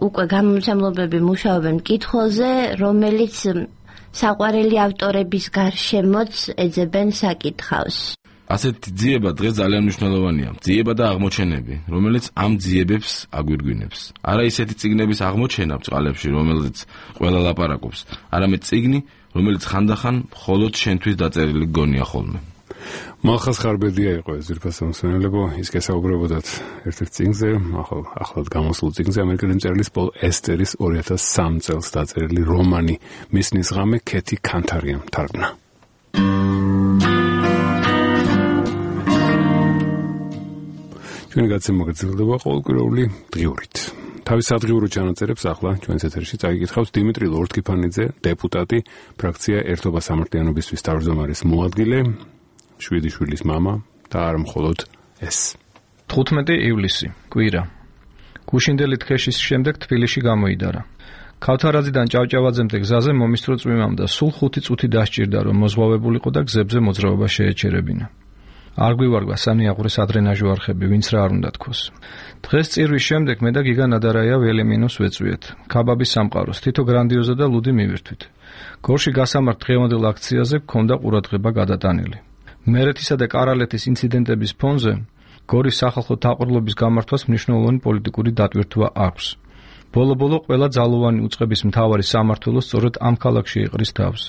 უკვე გამომცემლობები მუშაობენ მკითხველზე, რომელიც საყვარელი ავტორების გარშემოც ეძებენ საკითხავს. ასეთი ძიება დღეს ძალიან მნიშვნელოვანია. ძიება და აღმოჩენები, რომელიც ამ ძიებებს აგვირგვინებს. არა ისეთი წიგნების აღმოჩენა ბწყალებში, რომელზეც ყველა ლაპარაკობს, არამედ წიგნი, რომელიც ხანდახან მხოლოდ შენთვის დაწერილი გონია ხოლმე. მალხაზ ხარბედია იყო ეს ძირფასი მსმენელებო, ის გესაუბრებოდათ ერთ-ერთ წიგნზე, ახლად გამოსულ წიგნზე, ამერიკელი მწერლის პოლ ესტერის 2003 წელს დაწერილი რომანი მისნის ღამე კეთი კანტარიამ თარგმნა. ჩვენი გაცემა გრძელდება ყოველკვირეული დღიურით. თავის სადღიურო ჩანაწერებს ახლა ჩვენს ეთერში წაიკითხავს დიმიტრი ლორთქიფანიძე, დეპუტატი, ფრაქცია ერთობა სამართლიანობისთვის თავმჯდომარის მოადგილე, 7 შვილის მამა და არ მხოლოდ ეს. 15 ივლისი, კვირა. გუშინდელი თხეშის შემდეგ თბილისში გამოიდარა. ქავთარაძიდან ჭავჭავაძემდე გზაზე მომისწრო წვიმამ და სულ 5 წუთი დასჭირდა, რომ მოზღვავებულიყო და გზებზე მოძრაობა შეეჩერებინა. არ გვივარგვა სამი აღვრის ადრენაჟო არხები, ვინც რა არ უნდა თქოს. დღეს წირვის შემდეგ მე და გიგა ნადარაია ველემინოს ვეწვიეთ. ქაბაბის სამყაროს, თითო გრანდიოზა და ლუდი მივირთვით. გორში გასამართ დღევანდელ აქციაზე გქონდა ყურადღება გადატანილი. მერეთისა და კარალეთის ინციდენტების ფონზე გორის სახალხო თაყვანობის გამართვას მნიშვნელოვანი პოლიტიკური დატვირთვა აქვს. ბოლო-ბოლო ყველა ძალოვანი უწყების მთავარი სამმართველო სწორედ ამ ქალაქში იყრის თავს.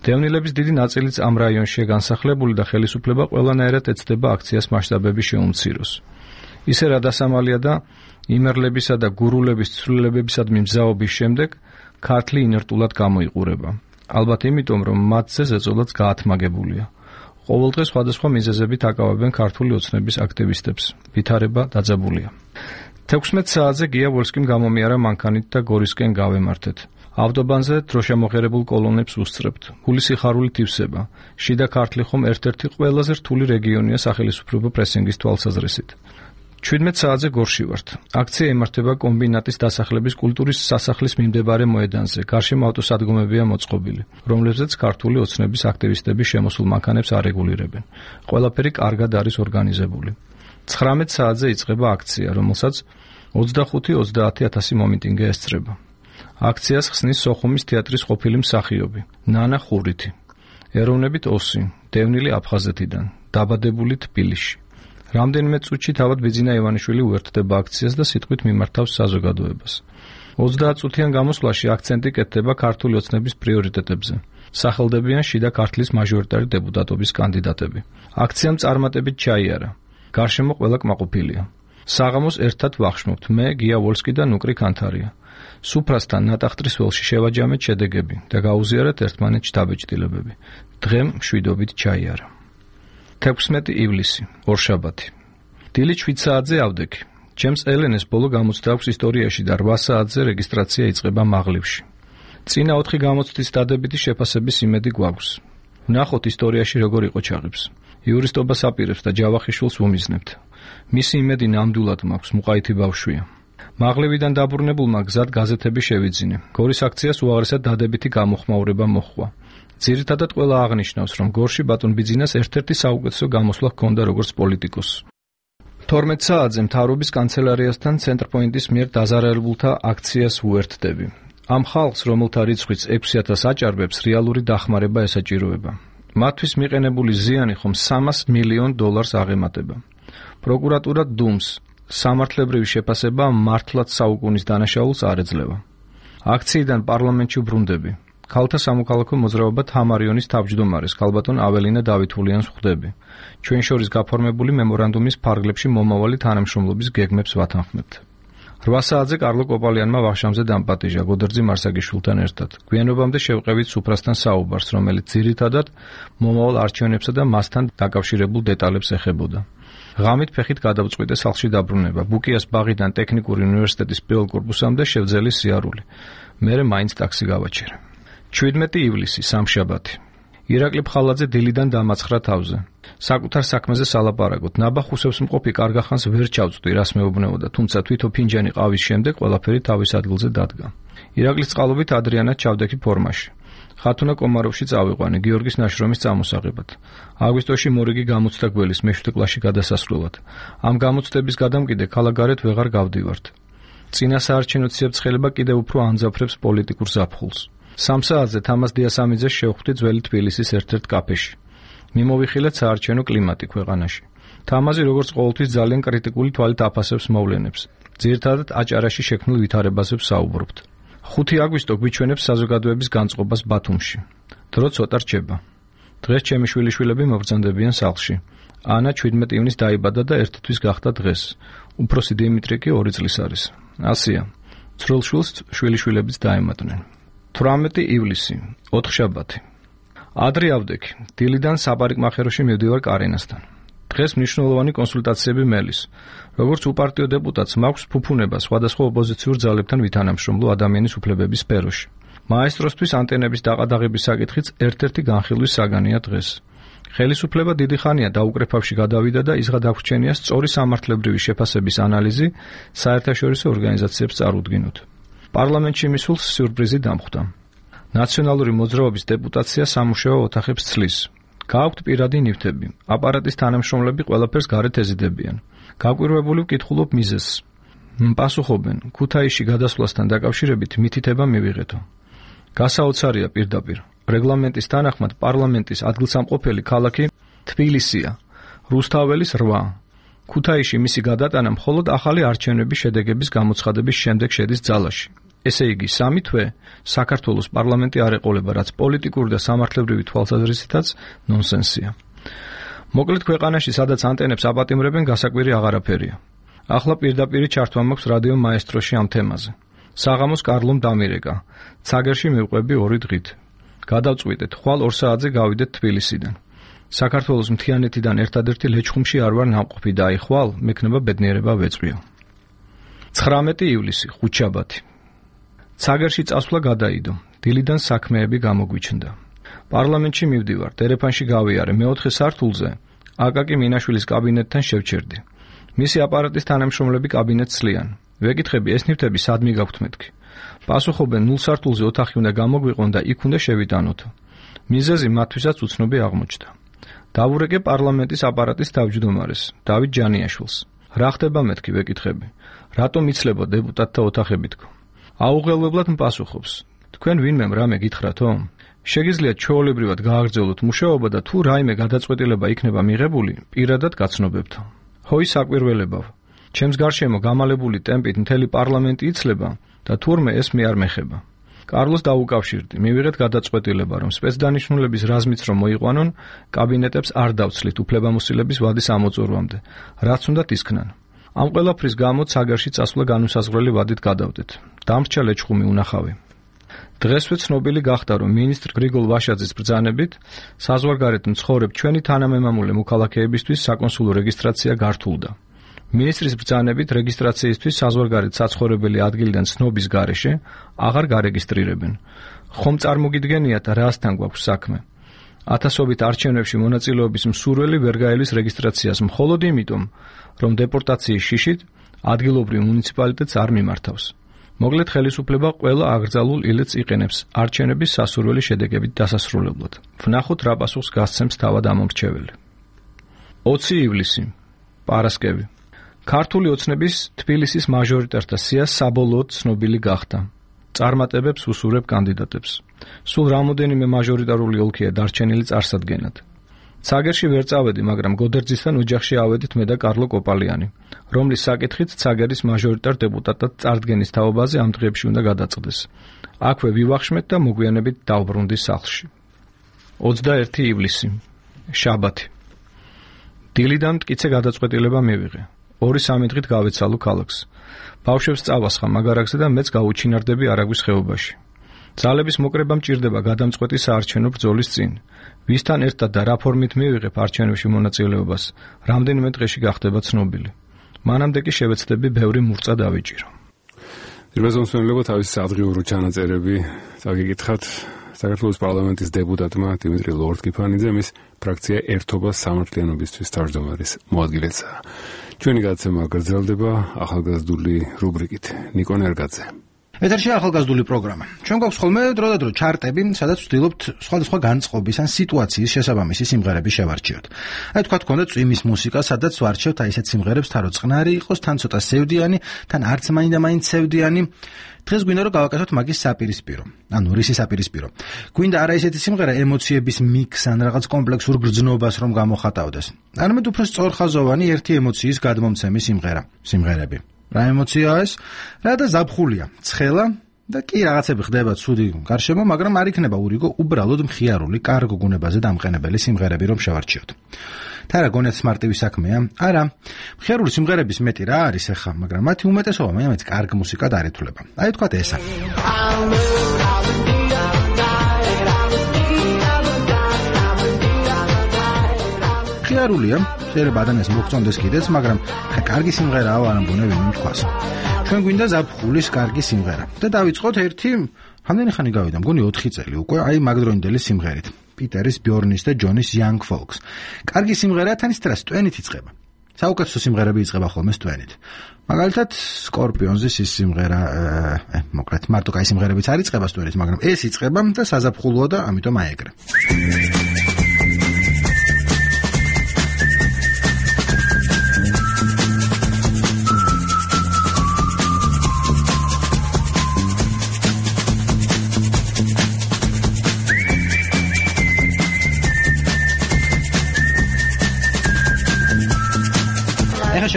დევნილების დიდი ნაწილიც ამ რაიონშია განსახლებული და ხელისუფლება ყველანაირად ეცდება აქციას მასშტაბები შეუმციროს. ისე რა დასამალია და იმერლებისა და გურულების ცვლილებებისადმი მზაობის შემდეგ ქართლი ინერტულად გამოიყურება. ალბათ იმიტომ, რომ მათზე ზეწოლაც გაათმაგებულია. ყოველდღე სხვადასხვა მიზეზებით აკავებენ ქართული ოცნების აქტივისტებს. ვითარება დაძაბულია. 16 საათზე გია ვოლსკიმ გამომიარა მანქანით და გორისკენ გავემართეთ. ავტობანზე დროშამოღერებულ კოლონებს უსწრებთ. გული სიხარულით ივსება. შიდა ქართლი ხომ ერთ-ერთი ყველაზე რთული რეგიონია სახელისუფლებო პრესინგის თვალსაზრისით. 17 საათზე გორში ვართ. აქცია იმართება კომბინატის დასახლების კულტურის სასახლის მიმდებარე მოედანზე. გარშემო ავტოსადგომებია მოწყობილი, რომლებზეც ქართული ოცნების აქტივისტები შემოსულ მანქანებს არეგულირებენ. ყველაფერი კარგად არის ორგანიზებული. 19 საათზე იწყება აქცია, რომელსაც 25-30 მომიტინგე ესწრება. აქციას ხსნის სოხუმის თეატრის ყოფილი მსახიობი ნანა ხურითი. ეროვნებით ოსი, დევნილი აფხაზეთიდან, დაბადებული თბილისში. რამდენიმე წუთში თავად ბიძინა ივანიშვილი უერთდება აქციას და სიტყვით მიმართავს საზოგადოებას. 30 წუთიან გამოსვლაში აქცენტი კეთდება ქართული ოცნების პრიორიტეტებზე. სახელდებიან შიდა ქართლის მაჟორიტარი დეპუტატობის კანდიდატები. აქციამ წარმატებით ჩაიარა. გარშემო ყველა კმაყოფილია. საღამოს ერთად ვახშმობთ მე, გია ვოლსკი და ნუკრი კანთარია. სუფრასთან ნატახტრის ველში შევაჯამეთ შედეგები და გაუზიარეთ ერთმანეთს დაბეჭდილებები. დღემ მშვიდობით ჩაიარა. 16 ივლისი, ორშაბათი. დილით 7 საათზე ავდექი. ჩემს ელენეს ბოლო გამოცდა აქვს ისტორიაში და 8 საათზე რეგისტრაცია იწყება მაღლივში. წინა 4 გამოცდის დადებითი შეფასების იმედი გვაქვს. ვნახოთ ისტორიაში როგორ იყო ჩაღებს. იურისტობას აპირებს და ჯავახიშვილს უმიზნებთ. მისი იმედი ნამდვილად მაქვს, მუყაითი ბავშვია. მაღლივიდან დაბრუნებულმა გზად გაზეთები შევიძინე. გორის აქციას უაღრესად დადებითი გამოხმაურება მოჰყვა. ძირითადად ყველა აღნიშნავს, რომ გორში ბატონ ბიძინას ერთ-ერთი საუკეთესო გამოსვლა ჰქონდა როგორც პოლიტიკოსს. 12 საათზე მთავრობის კანცელარიასთან ცენტრპოინტის მიერ დაზარალებულთა აქციას უერთდები. ამ ხალხს, რომელთა რიცხვიც 6000 აჭარბებს, რეალური დახმარება ესაჭიროება. მათთვის მიყენებული ზიანი ხომ $300 მილიონ აღემატება. პროკურატურა დუმს სამართლებრივი შეფასება მართლაც საუკუნის დანაშაულს არ ეძლევა. აქციიდან პარლამენტში ბრუნდები. ქალთა სამოქალაქო მოძრაობა თამარიონის თავმჯდომარეს ქალბატონ აველინა დავითულიანს ხვდები. ჩვენ შორის გაფორმებული მემორანდუმის ფარგლებში მომავალი თანამშრომლობის გეგმებს ვათანხმებთ. 8 საათზე კარლო კოპალიანმა ვახშამზე დამპატიჟა გოდერძი მარსაგიშვილთან ერთად. გვიანობამდე შევყევით სუფრასთან საუბარს, რომელიც ძირითადად მომავალ არჩევნებსა და მასთან დაკავშირებულ დეტალებს ეხებოდა. ღამით ფეხით გადავწყვიტე სახლში დაბრუნება. ბუკიას ბაღიდან ტექნიკური უნივერსიტეტის პირველ კორპუსამდე შევძელი სიარული. მერე მაინც ტაქსი გავაჩერე. 17 ივლისი, სამშაბათი. ირაკლი ფხალაძე დილიდან დამაცხრა თავზე. საკუთარ საქმეზე სალაპარაკოთ. ნაბახუსებს მყოფი კარგახანს ვერ ჩავწვდი, რას მეუბნეოდა, თუმცა თვითო ფინჯანი ყავის შემდეგ ყველაფერი თავის ადგილზე დადგა. ირაკლის წყალობით ადრიანად ჩავდექი ფორმაში. ხათუნა კომაროვში წავიყვანე გიორგის ნაშრომის წამოსაღებად. აგვისტოში მორიგი გამოცდა გველის მე-7 კლასში გადასასვლელად. ამ გამოცდების გადამკიდე ქალაქგარეთ ვეღარ გავდივართ. წინა საარჩევნო ციებ-ცხელება კიდევ უფრო ანძაფრებს პოლიტიკურ ზაფხულს. 3 საათზე თამაზ დიასამიძეს შევხვდი ძველი თბილისის ერთ-ერთ კაფეში. მიმოვიხილეთ საარჩევნო კლიმატი ქვეყანაში. თამაზი როგორც ყოველთვის ძალიან კრიტიკული თვალით აფასებს მოვლენებს. ძირითადად აჭარაში შექმნილ ვითარებაზე ვსაუბრობთ. 5 აგვისტო გვიჩვენებს საზოგადოების განწყობას ბათუმში. დრო ცოტა რჩება. დღეს ჩემი შვილიშვილები მობრძანდებიან სახლში. ანა 17 ივნის დაიბადა და ერთი თვის გახდა დღეს. უფროსი დიმიტრი კი 2 წლის არის. ასია. ცრულ შვილს შვილიშვილებიც დაემატნენ. 18 ივლისი, ოთხშაბათი. ადრე ავდექი. დილიდან საპარიკმახეროში მივდივარ კარენასთან. დღეს მნიშვნელოვანი კონსულტაციები მელის. როგორც უპარტიო დეპუტატს მაქვს ფუფუნება სხვადასხვა ოპოზიციურ ძალებთან ვითანამშრომლო ადამიანის უფლებების სფეროში. მაესტროსთვის ანტენების დაყადაღების საკითხიც ერთ-ერთი განხილვის საგანია დღეს. ხელისუფლება დიდი ხანია დაუკრეფავში გადავიდა და ის გადაგვრჩენია სწორი სამართლებრივი შეფასების ანალიზი საერთაშორისო ორგანიზაციებს წარუდგინოთ. პარლამენტში მისულს სიურპრიზი დამხვდა. ნაციონალური მოძრაობის დეპუტაცია სამუშაო ოთახებს ცლის. გააქვთ პირადი ნივთები. აპარატის თანამშრომლები ყველაფერს გარეთ ეზიდებიან. გაკვირვებული ვკითხულობ მიზეზს. პასუხობენ, ქუთაისში გადასვლასთან დაკავშირებით მითითება მივიღეთო. გასაოცარია პირდაპირ. რეგლამენტის თანახმად პარლამენტის ადგილსამყოფელი ქალაქი თბილისია. რუსთაველის 8. ქუთაისში მისი გადატანა მხოლოდ ახალი არჩევნების შედეგების გამოცხადების შემდეგ შედის ძალაში. ესე იგი, 3 თვე საქართველოს პარლამენტი არ ეყოლება, რაც პოლიტიკური და სამართლებრივი თვალსაზრისითაც ნონსენსია. მოკლედ ქვეყანაში, სადაც ანტენებს აპატიმრებენ, გასაკვირი აღარაფერია. ახლა პირდაპირი ჩართვა მაქვს რადიო მაესტროში ამ თემაზე. საღამოს კარლომ დამირეკა. ცაგერში მივყვები 2 დღით. გადავწყვიტეთ, ხვალ 2 საათზე გავიდეთ თბილისიდან. საქართველოს მთიანეთიდან ერთადერთი ლეჩხუმში არ ვარ ნამყოფი და აი ხვალ მექნება ბედნიერება ვეწვიო. 19 ივლისი, ხუთშაბათი. ცაგერში წასვლა გადაიდო. დილიდან საქმეები გამოგვიჩნდა. პარლამენტში მივდივარ, ტელეფონში გავიარე, მე-4 სართულზე აკაკი მინაშვილის კაბინეტთან შევჩერდი. მისი აპარატის თანამშრომლები კაბინეტს ცლიან. ვეკითხები, ეს ნივთები სად მიგაქვთ მეთქი? პასუხობენ, 0 სართულზე ოთახი უნდა გამოგვიყონ და იქ უნდა შევიტანოთო. მიზეზი მათთვისაც უცნობი აღმოჩნდა. დავურეკე პარლამენტის აპარატის თავმჯდომარეს, დავით ჯანიაშვილს. რა ხდება მეთქი, ვეკითხები. რატომ იცლება დეპუტატთა ოთახები თქო? აუღელვებლად მპასუხობს. თქვენ ვინმემ რამე გითხრათო? შეგიძლიათ ჩვეულებრივად გააგრძელოთ მუშაობა და თუ რაიმე გადაწყვეტილება იქნება მიღებული, პირადად გაცნობებთო. ჰოი საკვირველებავ. ჩემს გარშემო გამალებული ტემპით მთელი პარლამენტი იცლება და თურმე ეს მე არ მეხება. კარლოს დაუკავშირდი, მივიღეთ გადაწყვეტილება, რომ სპეცდანიშნულების რაზმიც რომ მოიყვანონ, კაბინეტებს არ დავცლით უფლებამოსილების ვადის ამოწურვამდე, რაც უნდათ ისქნან. ამ ყველაფრის გამო ცაგერში წასვლა განუსაზღვრელი ვადით გადავდეთ. დამრჩა ლეჩხუმი უნახავი. დღესვე ცნობილი გახდა, რომ მინისტრ გრიგოლ ვაშაძის ბრძანებით საზღვარგარეთ მცხოვრებ ჩვენი თანამემამულე მოქალაქეებისთვის საკონსულო რეგისტრაცია გართულდა. მინისტრის ბრძანებით რეგისტრაციისთვის საზღვარგარეთ საცხოვრებელი ადგილიდან ცნობის გარეშე აღარ გარეგისტრირებენ. ხომ წარმოგიდგენიათ რასთან გვაქვს საქმე? ათასობით არჩევნებში მონაწილეობის მსურველი ვერ გაელის რეგისტრაციას მხოლოდ იმიტომ, რომ დეპორტაციის შიშით ადგილობრივ მუნიციპალიტეტს არ მიმართავს. მოკლედ ხელისუფლება ყველა აკრძალულ ილეთს იყენებს არჩევნების სასურველი შედეგებით დასასრულებლად. ვნახოთ რა პასუხს გასცემს თავად ამორჩეველი. 20 ივლისი, პარასკევი. ქართული ოცნების თბილისის მაჟორიტართა სია საბოლოოდ ცნობილი გახდა. წარმატებებს უსურებ კანდიდატებს. სულ რამოდენიმე მაჟორიტარული ოლქია დარჩენილი წარსადგენად. ცაგერში ვერ წავედი, მაგრამ გოდერძისთან ოჯახში ავედით მე და კარლო კოპალიანი, რომლის საკითხით ცაგერის მაჟორიტარ დეპუტატად წარდგენის თაობაზე ამ დღეებში უნდა გადაწყდეს. აქვე ვივახშმეთ და მოგვიანებით დავბრუნდი სახლში. 21 ივლისი, შაბათი. დილიდან მტკიცე გადაწყვეტილება მივიღე. 2-3 დღით გავეცალო ქალაქს. ბავშვებს წავასხა მაგარაკზე და მეც გავუჩინარდები არაგვის ხეობაში. ძალების მოკრება მჭირდება გადამწყვეტი საარჩევნო ბრძოლის წინ. ვისთან ერთად და რა ფორმით მივიღებ არჩევნებში მონაწილეობას, რამდენიმე დღეში გახდება ცნობილი. მანამდე კი შევეცდები ბევრი მურწა დავიჭირო. ძირბაზონსმენლებო თავის სადღიურო ჩანაწერები წაგიკითხათ საქართველოს პარლამენტის დეპუტატმა დიმიტრი ლორდ-კიფანიძე მის ფრაქცია ერთობა სამართლიანობისთვის თავმჯდომარის მოადგილეცაა. ჩვენი გადაცემა გრძელდება ახალგაზრდული რუბრიკით. ნიკო ნერგაძე. ეთერში ახალგაზრდული პროგრამა. ჩვენ გვაქვს ხოლმე დროდადრო ჩარტები, სადაც ვცდილობთ სხვადასხვა განწყობის ან სიტუაციის შესაბამისი სიმღერების შევარჩიოთ. აი თქვა გქონდა წვიმის მუსიკა, სადაც ვარჩევთ აი ესეთ სიმღერებს, თან რო წყნარი იყოს, თან ცოტა სევდიანი, თან არც მაინდა-მაინც სევდიანი. დღეს გვინდა რომ გავაკეთოთ მაგის საპირისპირო. ანუ რისი საპირისპირო? გვინდა არა ესეთი სიმღერა ემოციების მიქსს ან რაღაც კომპლექსურ გრძნობას რომ გამოხატავდეს. არამედ უფრო სწორხაზოვანი ერთი ემოციის გადმომცემი სიმღერები. რა ემოციაა ეს? რა და ზაფხულია, ცხელა და კი რაღაცები ხდება ცუდი გარშემო, მაგრამ არ იქნება ურიგო უბრალოდ მხიარული, კარგ გუნებაზე დამყენებელი სიმღერები რომ შევარჩიოთ. თარა გონიათ მარტივი საქმეა? არა. მხიარული სიმღერების მეტი რა არის ახლა, მაგრამ მათი უმეტესობა მეც კარგ მუსიკად არ ითვლება. აი თქვათ ესა. მხიარულია, შეიძლება ადამიანს მოგწონდეს კიდეც, მაგრამ კარგი სიმღერაა არ ამბონე ვინმე თქვას. ჩვენ გვინდა ზაფხულის კარგი სიმღერა და დავიწყოთ ერთი, რამდენი ხანი გავიდა, მგონი 4 წელი უკვე, აი მაგდროინდელის სიმღერით. პიტერის, ბიორნის და ჯონის Young Folks. კარგი სიმღერაა, თან ის ტრას ტვენით იწყება. საუკეთესო სიმღერები იწყება ხოლმე ტვენით. მაგალითად, Scorpions-ის ის სიმღერა, მოკლედ, მარტო კაი სიმღერებიც არ იწყება ტვენით, მაგრამ ეს იწყება და საზაფხულოა და ამიტომ აეგრე.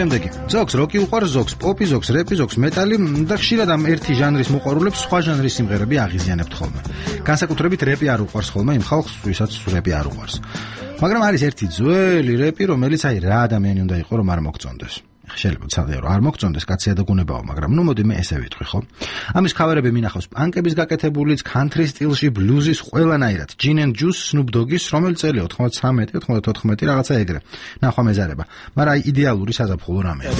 შემდეგი. ზოგს როკი უყვარს, ზოგს პოპი, ზოგს რეპი, ზოგს მეტალი და ხშირად ამ ერთი ჟანრის მოყვარულებს სხვა ჟანრის სიმღერები აღიზიანებთ ხოლმე. განსაკუთრებით რეპი არ უყვარს ხოლმე იმ ხალხს, ვისაც რეპი არ უყვარს. მაგრამ არის ერთი ძველი რეპი, რომელიც აი რა ადამიანი უნდა იყო, რომ არ მოგწონდეს. შეიძლება ცალკე რომ არ მოგწონდეს, კაცია და გუნებაო, მაგრამ ნუ მოდი მე ესე ვიტყვი, ხო? ამის ქავერები მინახავს პანკების გაკეთებულიც, country სტილში, ბლუზის, ყველანაირად. Gin and Juice, Snoop Dogg-ის, რომელი წელია 93, 94 რაღაცა ეგრე. ნახვა მეზარება. მაგრამ აი იდეალური საზაფხულო რამეა.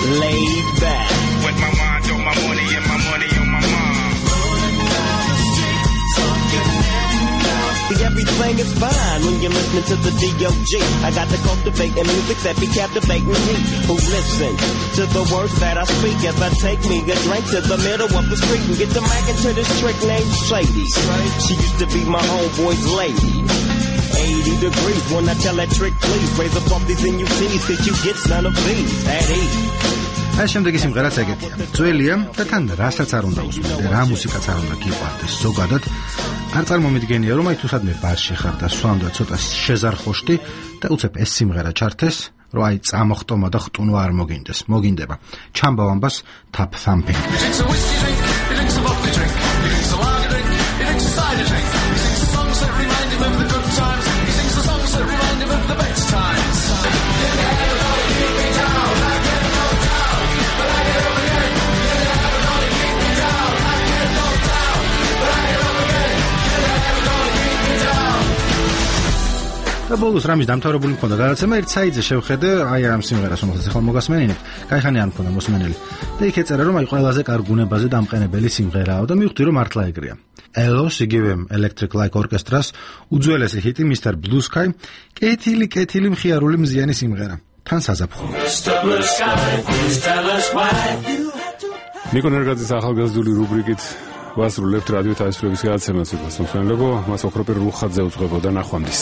Laid back with my mind on my money and my money on my mind. Everything is fine when you're listening to the D.O.G. I got to cultivate and music that be captivating me. Who listen to the words that I speak as I take me a drink to the middle of the street and get the mic into this trick named Shady. She used to be my homeboy's lady. 80 degrees when I tell that trick, please raise up all these NUTs that you get none of these at ease. აი შემდეგი სიმღერაც ეგეთია. ძველია და თან რასაც არ უნდა უსმენდე, რა მუსიკაც არ უნდა გიყვარდეს. ზოგადად არ წარმომიდგენია რომ აი თუ სადმე ბარში ხარ და სვამდა ცოტა შეზარხოშტი და უცებ ეს სიმღერა ჩართეს რომ აი წამოხტომა და ხტუნვა არ მოგინდება ჩამბავ ამბას tap thumping და ბოლოს რამის დამთავრებული მქონდა გადაცემა ერთ საიტზე შევხედე აი ამ სიმღერას რომელსაც ახლა მოგასმენინებთ кайხანი არ მქონდა მოსმენელი და იქ ეწერა რომ აი ყველაზე კარგ გუნებაზე დამყენებელი სიმღერაა და მივხვდი რომ მართლა ეგრეა ელოს იგივე Electric Light Orchestra-ს უძველესი ჰიტი Mr. Blue Sky კეთილი მხიარული მზიანი სიმღერა თან საზაფხულო ნიკო ნერგაძის ახალგაზრდული რუბრიკით ვასრულებთ რადიო თაისურების გადაცემას მოსმენელებო მას ოქროპირ რუხაძე უძღვებოდა ნახვამდის